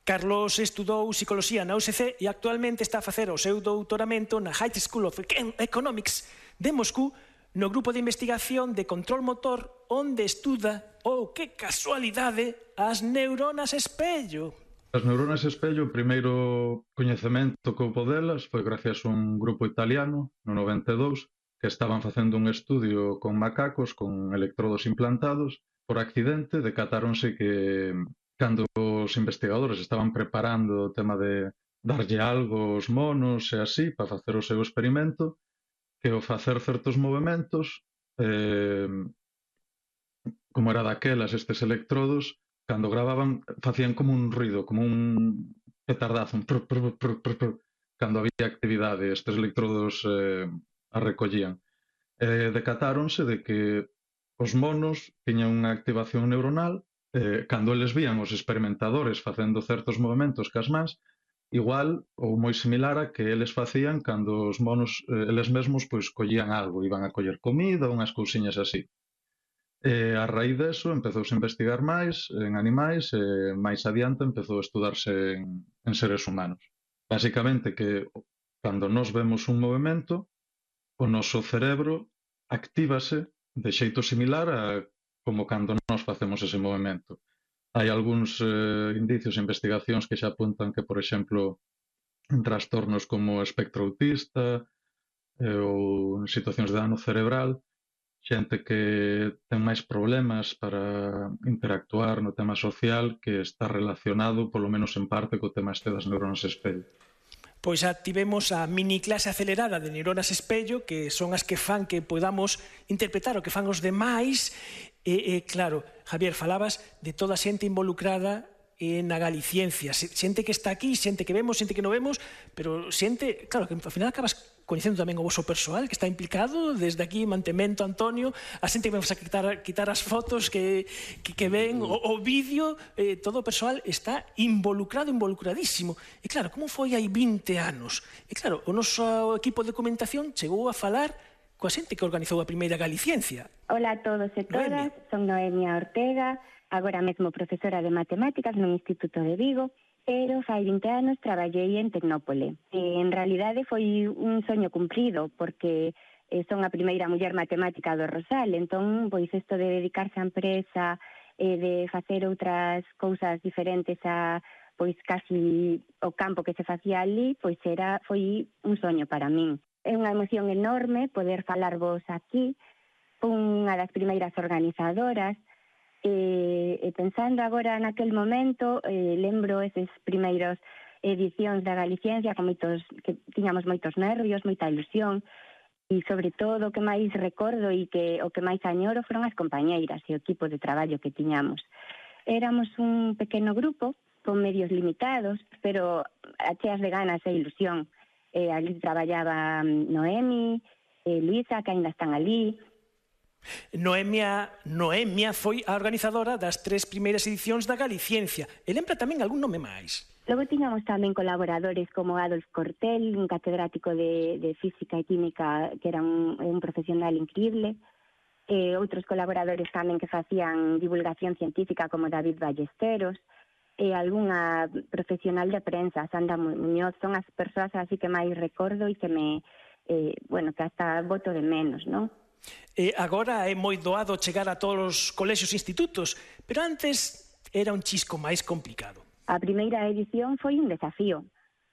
Carlos estudou psicoloxía na U S C e actualmente está a facer o seu doutoramento na High School of Economics de Moscú no grupo de investigación de control motor onde estuda, oh, que casualidade, as neuronas espello. As neuronas espello, o primeiro coñecemento que houbo delas foi gracias a un grupo italiano, no noventa e dous, que estaban facendo un estudio con macacos, con electrodos implantados. Por accidente, decatáronse que cando os investigadores estaban preparando o tema de darlle algo aos monos e así, para facer o seu experimento, que ao facer certos movimentos, eh, como era daquelas estes electrodos, cando gravaban, facían como un ruido, como un petardazo, un prr, prr, prr, prr, prr, cando había actividade, estes electrodos eh, a recollían. Eh, decatáronse de que os monos tiñan unha activación neuronal, eh, cando eles vían os experimentadores facendo certos movimentos cas mans, igual ou moi similar a que eles facían cando os monos, eh, eles mesmos, pois, collían algo, iban a coller comida, unhas cousiñas así. E a raíz deso empezouse a investigar máis en animais e máis adiante empezou a estudarse en, en seres humanos. Básicamente que cando nos vemos un movimento, o noso cerebro actívase de xeito similar a como cando nos facemos ese movimento. Hai algúns eh, indicios e investigacións que xa apuntan que, por exemplo, en trastornos como o espectro autista eh, ou en situacións de dano cerebral, xente que ten máis problemas para interactuar no tema social que está relacionado, polo menos en parte, co tema este das neuronas espello. Pois xa tivemos a mini clase acelerada de neuronas espello, que son as que fan que podamos interpretar o que fan os demais. E, e claro, Javier, falabas de toda a xente involucrada na Galiciencia, xente que está aquí, xente que vemos, xente que non vemos, pero xente, claro, que ao final acabas coñecendo tamén o vosso persoal que está implicado, desde aquí mantemento Antonio, a xente que vamos a quitar, quitar as fotos que, que, que ven, o, o vídeo, eh, todo o persoal está involucrado, involucradísimo. E claro, como foi hai vinte anos? E claro, o noso equipo de documentación chegou a falar coa xente que organizou a primeira Galiciencia. Hola a todos e todas, son Noemia Ortega, agora mesmo profesora de matemáticas no Instituto de Vigo, pero fai vinte anos traballei en Tecnópole. E, en realidade foi un soño cumprido, porque eh, son a primeira muller matemática do Rosal, entón, pois, isto de dedicarse á empresa, eh, de facer outras cousas diferentes a, pois, casi o campo que se facía ali, pois, era, foi un soño para min. É unha emoción enorme poder falarvos aquí, unha das primeiras organizadoras. E, e pensando agora naquel momento, eh, lembro eses primeiros edicións da Galiciencia con moitos, que tiñamos moitos nervios, moita ilusión, e sobre todo o que máis recordo e que o que máis añoro foron as compañeiras e o equipo de traballo que tiñamos. Éramos un pequeno grupo con medios limitados, pero cheas de ganas e ilusión. Eh, ali traballaba Noemi, eh, Luisa, que ainda están ali. Noemia, Noemia foi a organizadora das tres primeiras edicións da Galiciencia. E lembra tamén algún nome máis? Logo tiñamos tamén colaboradores como Adolf Cortel, un catedrático de, de Física e Química que era un, un profesional increíble. E outros colaboradores tamén que facían divulgación científica como David Ballesteros. E algunha profesional de prensa, Sandra Muñoz. Son as persoas así que máis recordo e que me, eh, bueno, que hasta voto de menos, non? E agora é moi doado chegar a todos os colexios e institutos, pero antes era un chisco máis complicado. A primeira edición foi un desafío,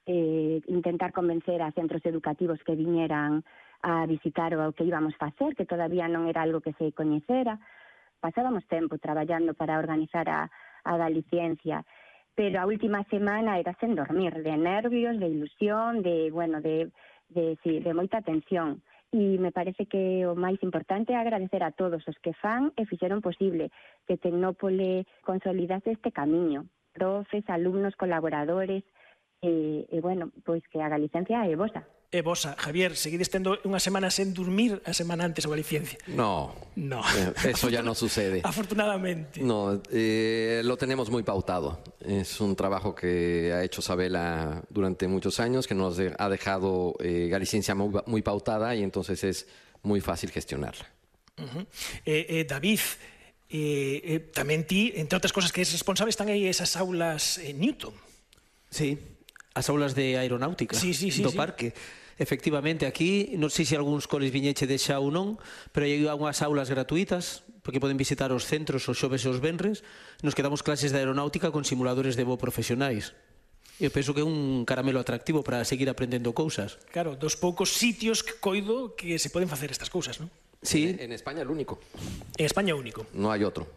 eh, intentar convencer a centros educativos que viñeran a visitar o que íbamos facer, que todavía non era algo que se coñecera. Pasábamos tempo traballando para organizar a, a Galiciencia, pero a última semana era sen dormir, de nervios, de ilusión, de, bueno, de, de, sí, de moita tensión. E me parece que o máis importante é agradecer a todos os que fan e fixeron posible que Tecnópole consolidase este camiño. Profes, alumnos, colaboradores, e, e bueno, pois que a Galicencia é vosa. E vosa, Javier, seguides tendo unha semana sen dormir a semana antes o Galiciencia. No, no. Eso ya no sucede. Afortunadamente. No, eh, lo tenemos muy pautado. Es un trabajo que ha hecho Sabela durante muchos años, que nos ha dejado eh, Galiciencia muy, muy pautada y entonces es muy fácil gestionarla. Uh-huh. eh, eh, David, eh, eh, tamén ti, entre outras cosas que es responsable, están aí esas aulas en Newton. Sí, as aulas de aeronáutica sí, sí, sí, do sí. parque. Efectivamente, aquí, non sei se algúns coles viñeche de xa ou non, pero hai unhas aulas gratuitas, porque poden visitar os centros os xoves e os venres, nos que damos clases de aeronáutica con simuladores de voo profesionais. Eu penso que é un caramelo atractivo para seguir aprendendo cousas. Claro, dos poucos sitios que coido que se poden facer estas cousas, non? Sí. En, en España el único. En España único. No hay otro.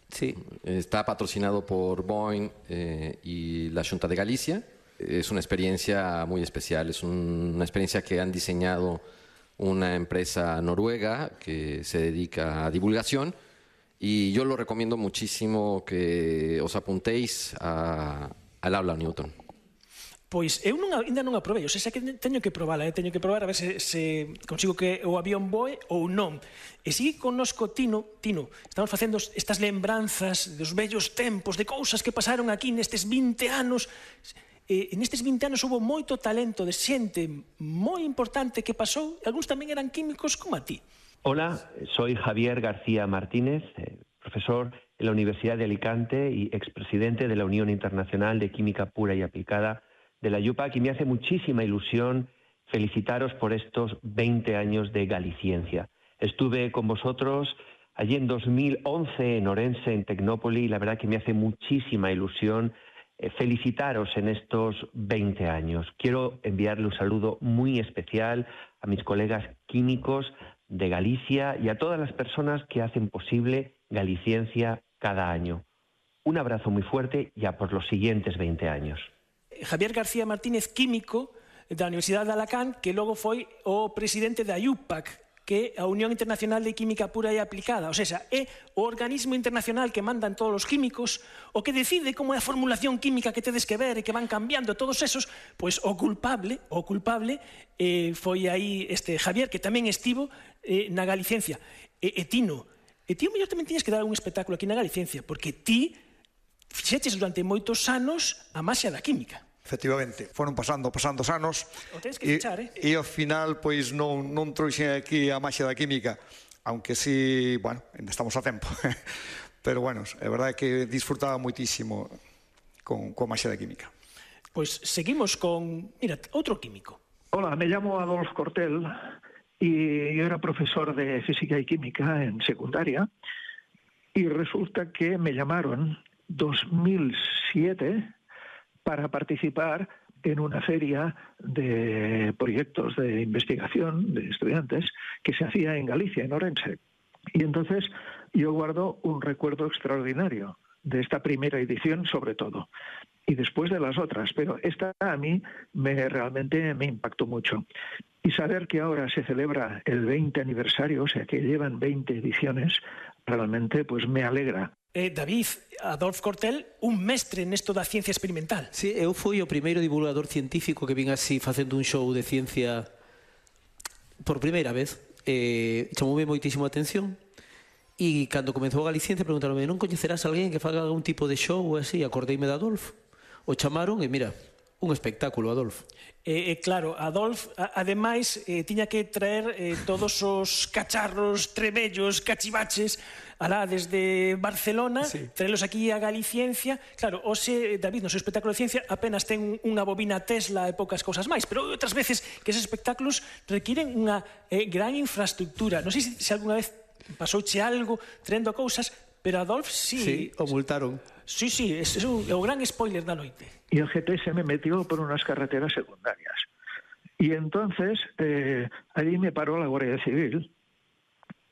Sí. Está patrocinado por Boeing eh, y la Xunta de Galicia. Es una experiencia muy especial, es un, una experiencia que han diseñado una empresa noruega que se dedica a divulgación y yo lo recomiendo muchísimo que os apuntéis a, al aula Newton. Pois eu non, ainda non aprobei, o sea, que teño que probala, eh? teño que probar a ver se, se consigo que o avión voe ou non. E sigue connosco Tino, Tino, estamos facendo estas lembranzas dos vellos tempos, de cousas que pasaron aquí nestes vinte anos. Eh, nestes vinte anos houve moito talento de xente moi importante que pasou, e algúns tamén eran químicos como a ti. Hola, soy Javier García Martínez, eh, profesor en la Universidad de Alicante y expresidente de la Unión Internacional de Química Pura y Aplicada de la UPAC, y me hace muchísima ilusión felicitaros por estos veinte años de Galiciencia. Estuve con vosotros allí en dos mil once en Orense, en Tecnópole, y la verdad que me hace muchísima ilusión felicitaros en estos veinte años. Quiero enviarle un saludo muy especial a mis colegas químicos de Galicia y a todas las personas que hacen posible Galiciencia cada año. Un abrazo muy fuerte y a por los siguientes veinte años. Javier García Martínez, químico da Universidade de Alacant, que logo foi o presidente da U P A C, que é a Unión Internacional de Química Pura e Aplicada, ou seja, é o organismo internacional que mandan todos os químicos, o que decide como é a formulación química que tedes que ver e que van cambiando todos esos, pois o culpable, o culpable eh, foi aí este Javier, que tamén estivo eh, na Galicencia. E, e Tino, e ti o mellor tamén tiñes que dar un espectáculo aquí na Galicencia, porque ti fixeches durante moitos anos a maxia da química. Efectivamente, foron pasando, pasando os anos o tens que fichar, eh? E ao final, pois, non, non trouxen aquí a maxia da química, aunque sí, bueno, ainda estamos a tempo. Pero, bueno, é verdade que disfrutaba moitísimo con, con a maxia da química. Pois seguimos con, mira, outro químico. Hola, me llamo Adolf Cortel y yo era profesor de física y química en secundaria y resulta que me llamaron dos mil siete para participar en una feria de proyectos de investigación de estudiantes que se hacía en Galicia, en Orense. Y entonces yo guardo un recuerdo extraordinario de esta primera edición, sobre todo, y después de las otras, pero esta a mí me, realmente me impactó mucho. Y saber que ahora se celebra el veinte aniversario, o sea que llevan veinte ediciones, realmente pues me alegra. Eh, David, Adolf Cortel, un mestre nesto da ciencia experimental. Sí, eu fui o primeiro divulgador científico que vin así facendo un show de ciencia por primeira vez. Eh, chamoume moitísimo a atención e cando comezou a Galiciencia preguntaronme, non coñecerás a alguén que faga algún tipo de show ou así? Acordeime de Adolf. O chamaron e mira, un espectáculo, Adolf. Eh, eh, claro, Adolf, a, ademais, eh, tiña que traer eh, todos os cacharros, trebellos, cachivaches, alá desde Barcelona, sí. Traelos aquí a Galiciencia. Claro, hoxe, David, no seu espectáculo de ciencia apenas ten unha bobina Tesla e poucas cousas máis, pero outras veces que esos espectáculos requiren unha eh, gran infraestructura. Non sei se, se alguna vez pasouche algo traendo cousas, pero Adolf sí. Sí, o multaron. Sí, sí, é, é, un, é o gran spoiler da noite. Y el G T se me metió por unas carreteras secundarias. Y entonces eh, allí me paró la Guardia Civil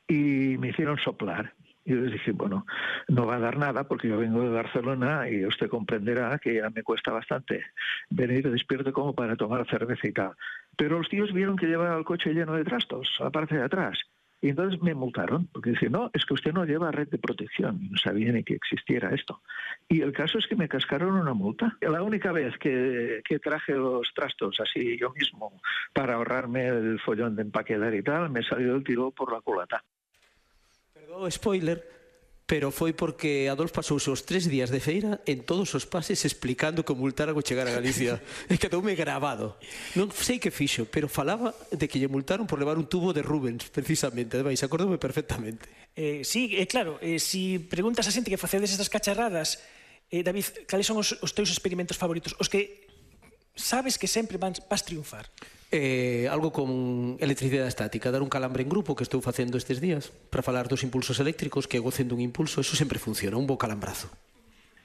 y me hicieron soplar. Y yo les dije, bueno, no va a dar nada porque yo vengo de Barcelona y usted comprenderá que ya me cuesta bastante venir despierto como para tomar cerveza y tal. Pero los tíos vieron que llevaba el coche lleno de trastos a la parte de atrás. Y entonces me multaron, porque dicen, no, es que usted no lleva red de protección. Y no sabía ni que existiera esto. Y el caso es que me cascaron una multa. La única vez que, que traje los trastos así yo mismo para ahorrarme el follón de empaquetar y tal, me salió el tiro por la culata. Perdón, spoiler, pero foi porque Adolf pasouse os tres días de feira en todos os pases explicando que multaran ao chegar a Galicia. E quedoume grabado. Non sei que fixo, pero falaba de que lle multaron por levar un tubo de Rubens, precisamente. Ademais, acordoume perfectamente. Eh, sí, é eh, claro, eh, si preguntas a xente que facedes estas cacharradas, eh, David, cales son os, os teus experimentos favoritos? Os que sabes que sempre vas, vas triunfar. Eh, algo con electricidade estática, dar un calambre en grupo que estou facendo estes días para falar dos impulsos eléctricos, que gocen dun impulso, eso sempre funciona, un bo calambrazo.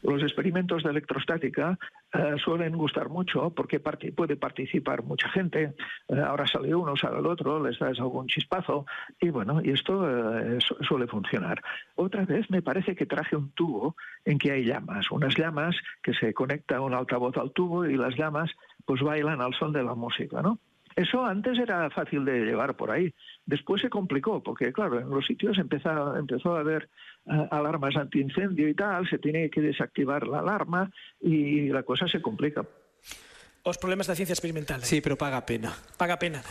Los experimentos de electrostática eh, suelen gustar mucho porque part- puede participar mucha gente. Eh, ahora sale uno, sale el otro, les das algún chispazo y bueno, y esto eh, su- suele funcionar. Otra vez me parece que traje un tubo en que hay llamas, unas llamas que se conecta un altavoz al tubo y las llamas pues bailan al son de la música, ¿no? Eso antes era fácil de llevar por ahí. Después se complicó, porque claro, en los sitios empezó, empezó a haber uh, alarmas antiincendio y tal, se tiene que desactivar la alarma y la cosa se complica. Os problemas da ciencia experimental. Sí, pero paga pena. Paga pena.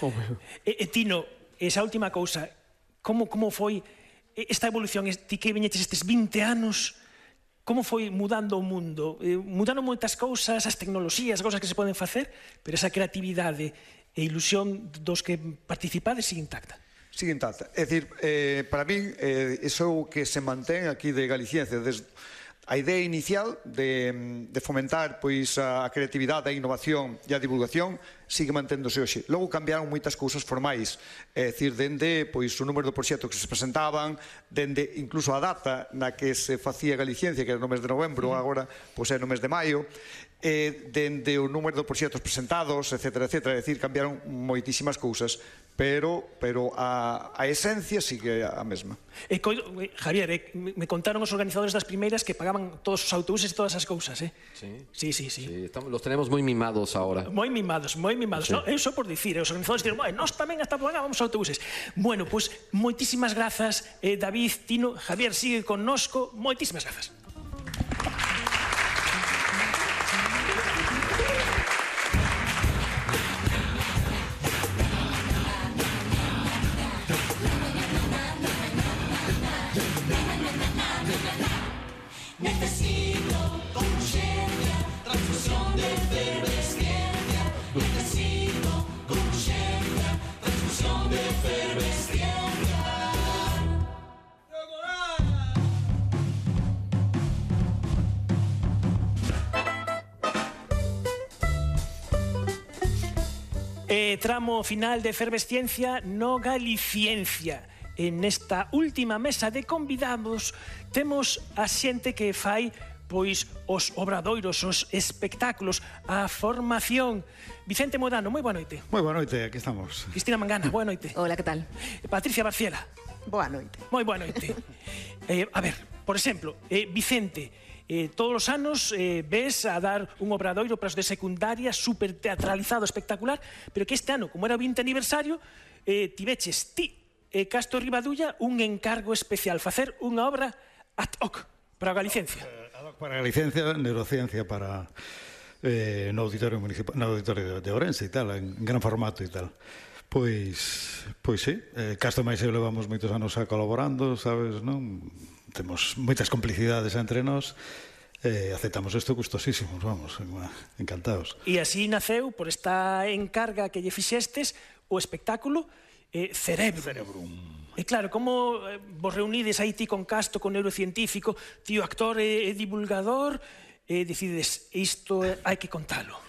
E, e Tino, esa última cousa, como, como foi esta evolución, ti que viñeches estes vinte anos, como foi mudando o mundo? Eh, mudando moitas cousas, as tecnoloxías, as cousas que se poden facer, pero esa creatividade e ilusión dos que participades sigue intacta. Sigue intacta. É dicir, eh, para min, eh, iso é o que se mantén aquí de Galiciencia, desde a idea inicial de, de fomentar pois a creatividade, a innovación e a divulgación sigue manténdose hoxe. Logo cambiaron moitas cousas formais, é dicir, dende pois o número de proxectos que se presentaban, dende incluso a data na que se facía Galiciencia, que era no mes de novembro, agora pois é no mes de maio, eh, dende o número de proxectos presentados, etcétera, etcétera, é dicir, cambiaron moitísimas cousas, pero pero a, a esencia sigue a mesma. E coido, Javier, eh, me contaron os organizadores das primeiras que pagaban todos os autobuses e todas as cousas, eh? Sí, sí, sí. sí. sí estamos, los tenemos moi mimados ahora. Moi mimados, moi mimados. Sí. No, eu só por dicir, os organizadores diren, bueno, nós tamén hasta pagábamos autobuses. Bueno, pois, pues, moitísimas grazas, eh, David, Tino, Javier, sigue connosco, moitísimas grazas. Necesito con urgencia transfusión de efervescencia. Necesito con urgencia transfusión de efervescencia. Eh, tramo final de Efervesciencia no Galiciencia. En esta última mesa de convidados temos a xente que fai pois os obradoiros, os espectáculos, a formación. Vicente Modano, moi boa noite. Moi boa noite, aquí estamos. Cristina Mangana, boa noite. Hola, que tal? Patricia Barciela. Boa noite. Moi boa noite. eh, a ver, por exemplo, eh, Vicente, eh, todos os anos eh, ves a dar un obradoiro para os de secundaria super teatralizado, espectacular, pero que este ano, como era o vinte aniversario, eh, tiveches ti e Castro Ribadulla un encargo especial, facer unha obra ad hoc para a Galiciencia. Ad hoc para a Galiciencia, neurociencia para eh, no auditorio municipal, no auditorio de Ourense e tal, en gran formato e tal. Pois, pois sí, eh, Castro máis eu levamos moitos anos a colaborando, sabes, non? Temos moitas complicidades entre nós. Eh, aceptamos isto gustosísimos, vamos, encantados. E así naceu, por esta encarga que lle fixestes, o espectáculo Eh, Cerebro. Cerebrum. E claro, como eh, vos reunides aí ti con Castro, con neurocientífico, tío actor e, e divulgador, e decides, isto eh, hai que contalo.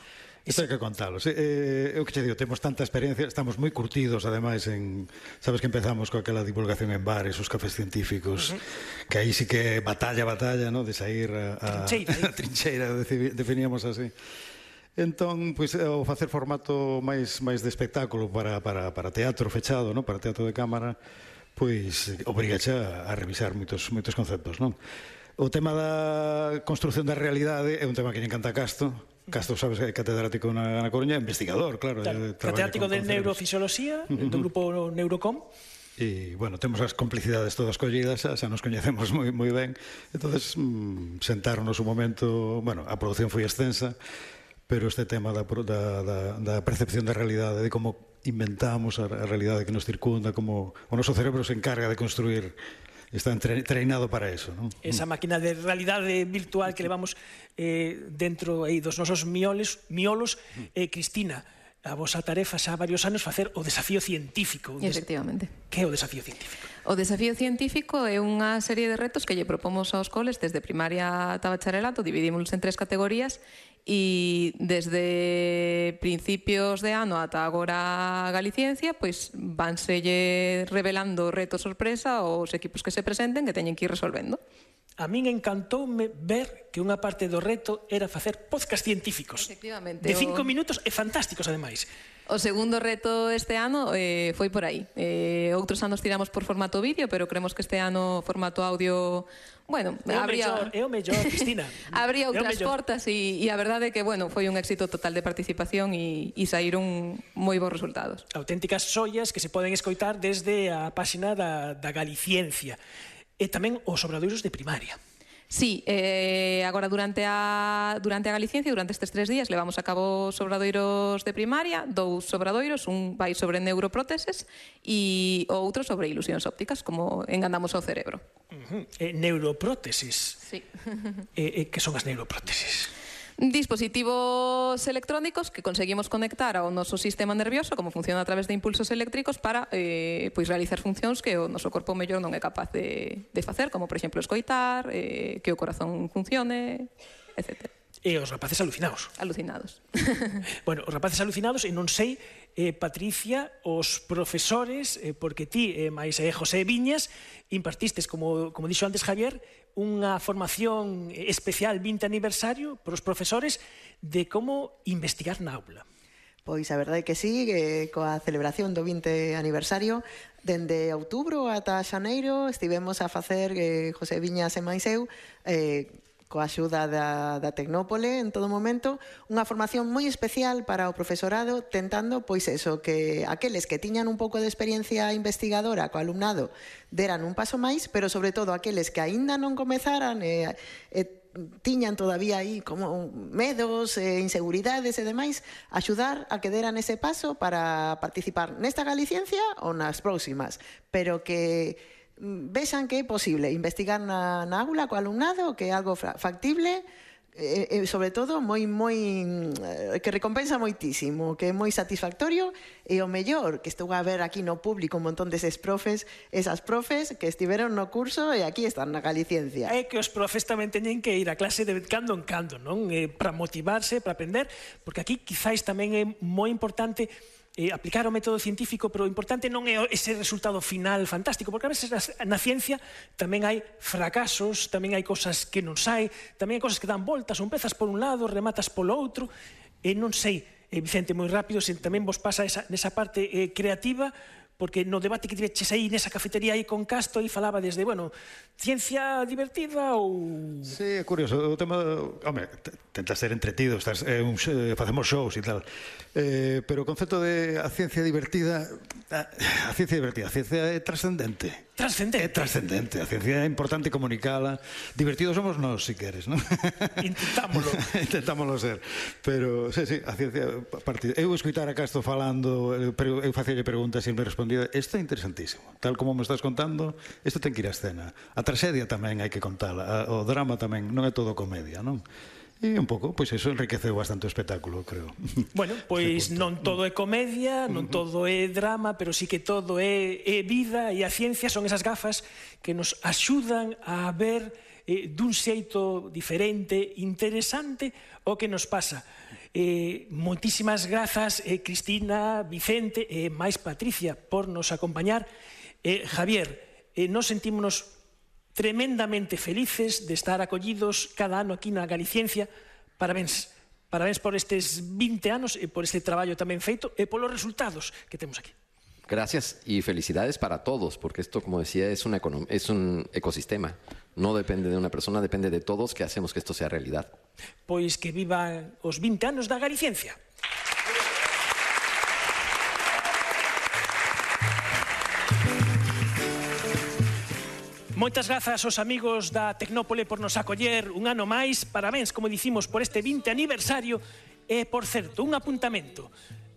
Isto hai que contalo. Sí, eh, eu que che digo, temos tanta experiencia, estamos moi curtidos, ademais, en, sabes que empezamos con aquela divulgación en bares, os cafés científicos, uh -huh. que aí sí que batalla, batalla, ¿no? De sair a, a trincheira, a trincheira, definíamos así. Entón, pois, ao facer formato máis máis de espectáculo para, para, para teatro fechado, no? Para teatro de cámara, pois obrigache a, a revisar moitos, moitos conceptos, non? O tema da construción da realidade é un tema que lle encanta a Casto. Casto, sabes, é catedrático na, na Coruña, investigador, claro. claro catedrático de Neurofisioloxía, uh -huh. do grupo Neurocom. E, bueno, temos as complicidades todas collidas, xa, xa nos coñecemos moi, moi ben. Entonces, mm, sentáronos un momento, bueno, a produción foi extensa, pero este tema da, da, da, da percepción da realidade, de como inventamos a, a realidade que nos circunda, como o noso cerebro se encarga de construir, está treinado para eso, non? Esa máquina de realidade virtual que levamos eh, dentro aí dos nosos miolos, miolos eh, Cristina, a vosa tarefa xa varios anos facer o desafío científico. Efectivamente. Que é o desafío científico? O desafío científico é unha serie de retos que lle propomos aos coles desde primaria ata bacharelato, dividímonos en tres categorías e desde principios de ano ata agora a Galiciencia, pois vanselle revelando retos sorpresa aos equipos que se presenten que teñen que ir resolvendo. A min encantoume ver que unha parte do reto era facer podcast científicos. Efectivamente. De cinco minutos e fantásticos, ademais. O segundo reto este ano eh, foi por aí. Eh, outros anos tiramos por formato vídeo, pero creemos que este ano formato audio... Bueno, é o habría... mellor, é o mellor, Cristina. Habría outras portas e, e a verdade é que, bueno, foi un éxito total de participación e, e saíron moi bons resultados. Auténticas xoias que se poden escoitar desde a páxina da, da Galiciencia. E tamén os obradoiros de primaria. Sí, eh, agora durante a, durante a Galiciencia, durante estes tres días, levamos a cabo os obradoiros de primaria, dous obradoiros, un vai sobre neuropróteses e o outro sobre ilusións ópticas, como enganamos ao cerebro. Uh -huh. eh, neuroprótesis. Sí. eh, eh, que son as neuroprótesis? Dispositivos electrónicos que conseguimos conectar ao noso sistema nervioso, como funciona a través de impulsos eléctricos, para eh, pois realizar funcións que o noso corpo mellor non é capaz de, de facer, como, por exemplo, escoitar, eh, que o corazón funcione, etcétera. E os rapaces alucinados. Alucinados. Bueno, os rapaces alucinados, e non sei, eh, Patricia, os profesores, eh, porque ti, eh, máis eh, José Viñas, impartistes, como, como dixo antes Javier, unha formación especial vinte aniversario para os profesores de como investigar na aula. Pois a verdade é que sí, que coa celebración do vinte aniversario, dende outubro ata xaneiro estivemos a facer, eh, José Viñas e máis eu, eh, coa axuda da, da Tecnópole en todo momento, unha formación moi especial para o profesorado, tentando, pois eso, que aqueles que tiñan un pouco de experiencia investigadora co alumnado deran un paso máis, pero sobre todo aqueles que aínda non comezaran e, e tiñan todavía aí como medos, e inseguridades e demais, axudar a que deran ese paso para participar nesta Galiciencia ou nas próximas, pero que vexan que é posible investigar na, na aula co alumnado, que é algo factible e, e sobre todo moi moi que recompensa moitísimo, que é moi satisfactorio, e o mellor que estou a ver aquí no público un montón deses profes, esas profes que estiveron no curso e aquí están na Galiciencia. É que os profes tamén teñen que ir a clase de cando en cando, non? Eh, para motivarse, para aprender, porque aquí quizáis tamén é moi importante Eh, aplicar o método científico, pero o importante non é ese resultado final fantástico, porque a veces na ciencia tamén hai fracasos, tamén hai cosas que non sai, tamén hai cosas que dan voltas, ou empezas por un lado, rematas polo outro, e non sei, eh, Vicente, moi rápido, se tamén vos pasa esa, nesa parte eh, creativa, porque no debate que tiveches aí nesa cafetería aí con Casto, aí falaba desde, bueno, ciencia divertida ou... Sí, é curioso, o tema, home, tenta ser entretido, estás, eh, un, eh, facemos shows e tal, eh, pero o concepto de a ciencia divertida, a, a ciencia divertida, a ciencia é trascendente. Trascendente. É trascendente, a ciencia é importante comunicala. Divertidos somos nós, si queres, non? Intentámolo. Intentámolo ser. Pero, sí, sí, a ciencia... Partida. Eu escutar a Casto falando, pero eu facelle preguntas e me respondía, isto é interesantísimo. Tal como me estás contando, isto ten que ir á escena. A traxedia tamén hai que contala. O drama tamén, non é todo comedia, non? E un pouco, pois eso enriqueceu bastante o espectáculo, creo. Bueno, pois non todo é comedia, non todo é drama, pero sí que todo é, é vida, e a ciencia son esas gafas que nos axudan a ver eh, dun xeito diferente, interesante, o que nos pasa. Eh, moitísimas grazas, eh, Cristina, Vicente e eh, máis Patricia, por nos acompañar. Eh, Javier, eh, nos sentímonos tremendamente felices de estar acollidos cada ano aquí na Galiciencia. Parabéns, parabéns por estes vinte anos e por este traballo tamén feito e polos resultados que temos aquí. Gracias y felicidades para todos, porque esto, como decía, es, una econom- es un ecosistema. No depende de una persona, depende de todos que hacemos que esto sea realidad. Pois que vivan os vinte anos da Galiciencia. Moitas grazas aos amigos da Tecnópole por nos acoller un ano máis. Parabéns, como dicimos, por este vinte aniversario. E, por certo, un apuntamento.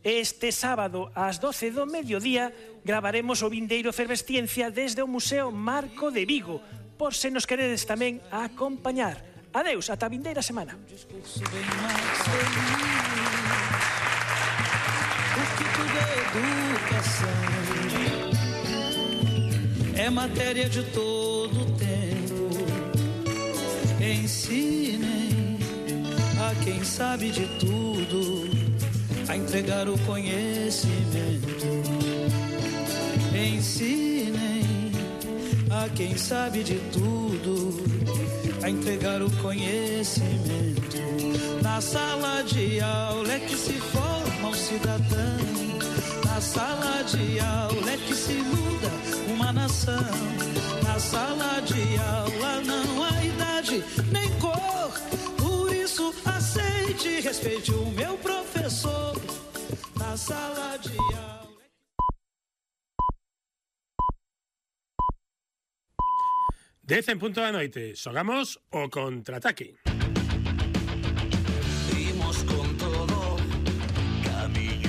Este sábado, ás doce do mediodía, gravaremos o vindeiro Efervesciencia desde o Museo Marco de Vigo, por se nos queredes tamén a acompañar. Adeus, ata a vindeira semana. É matéria de todo tempo. Ensinem a quem sabe de tudo a entregar o conhecimento. Ensinem a quem sabe de tudo a entregar o conhecimento. Na sala de aula é que se forma um cidadão. Na sala de aula é que se muda uma nação. Na sala de aula não há idade nem cor. Por isso aceite e respeite o meu professor. Na sala de aula. Dez en punto da noite, xogamos o contraataque.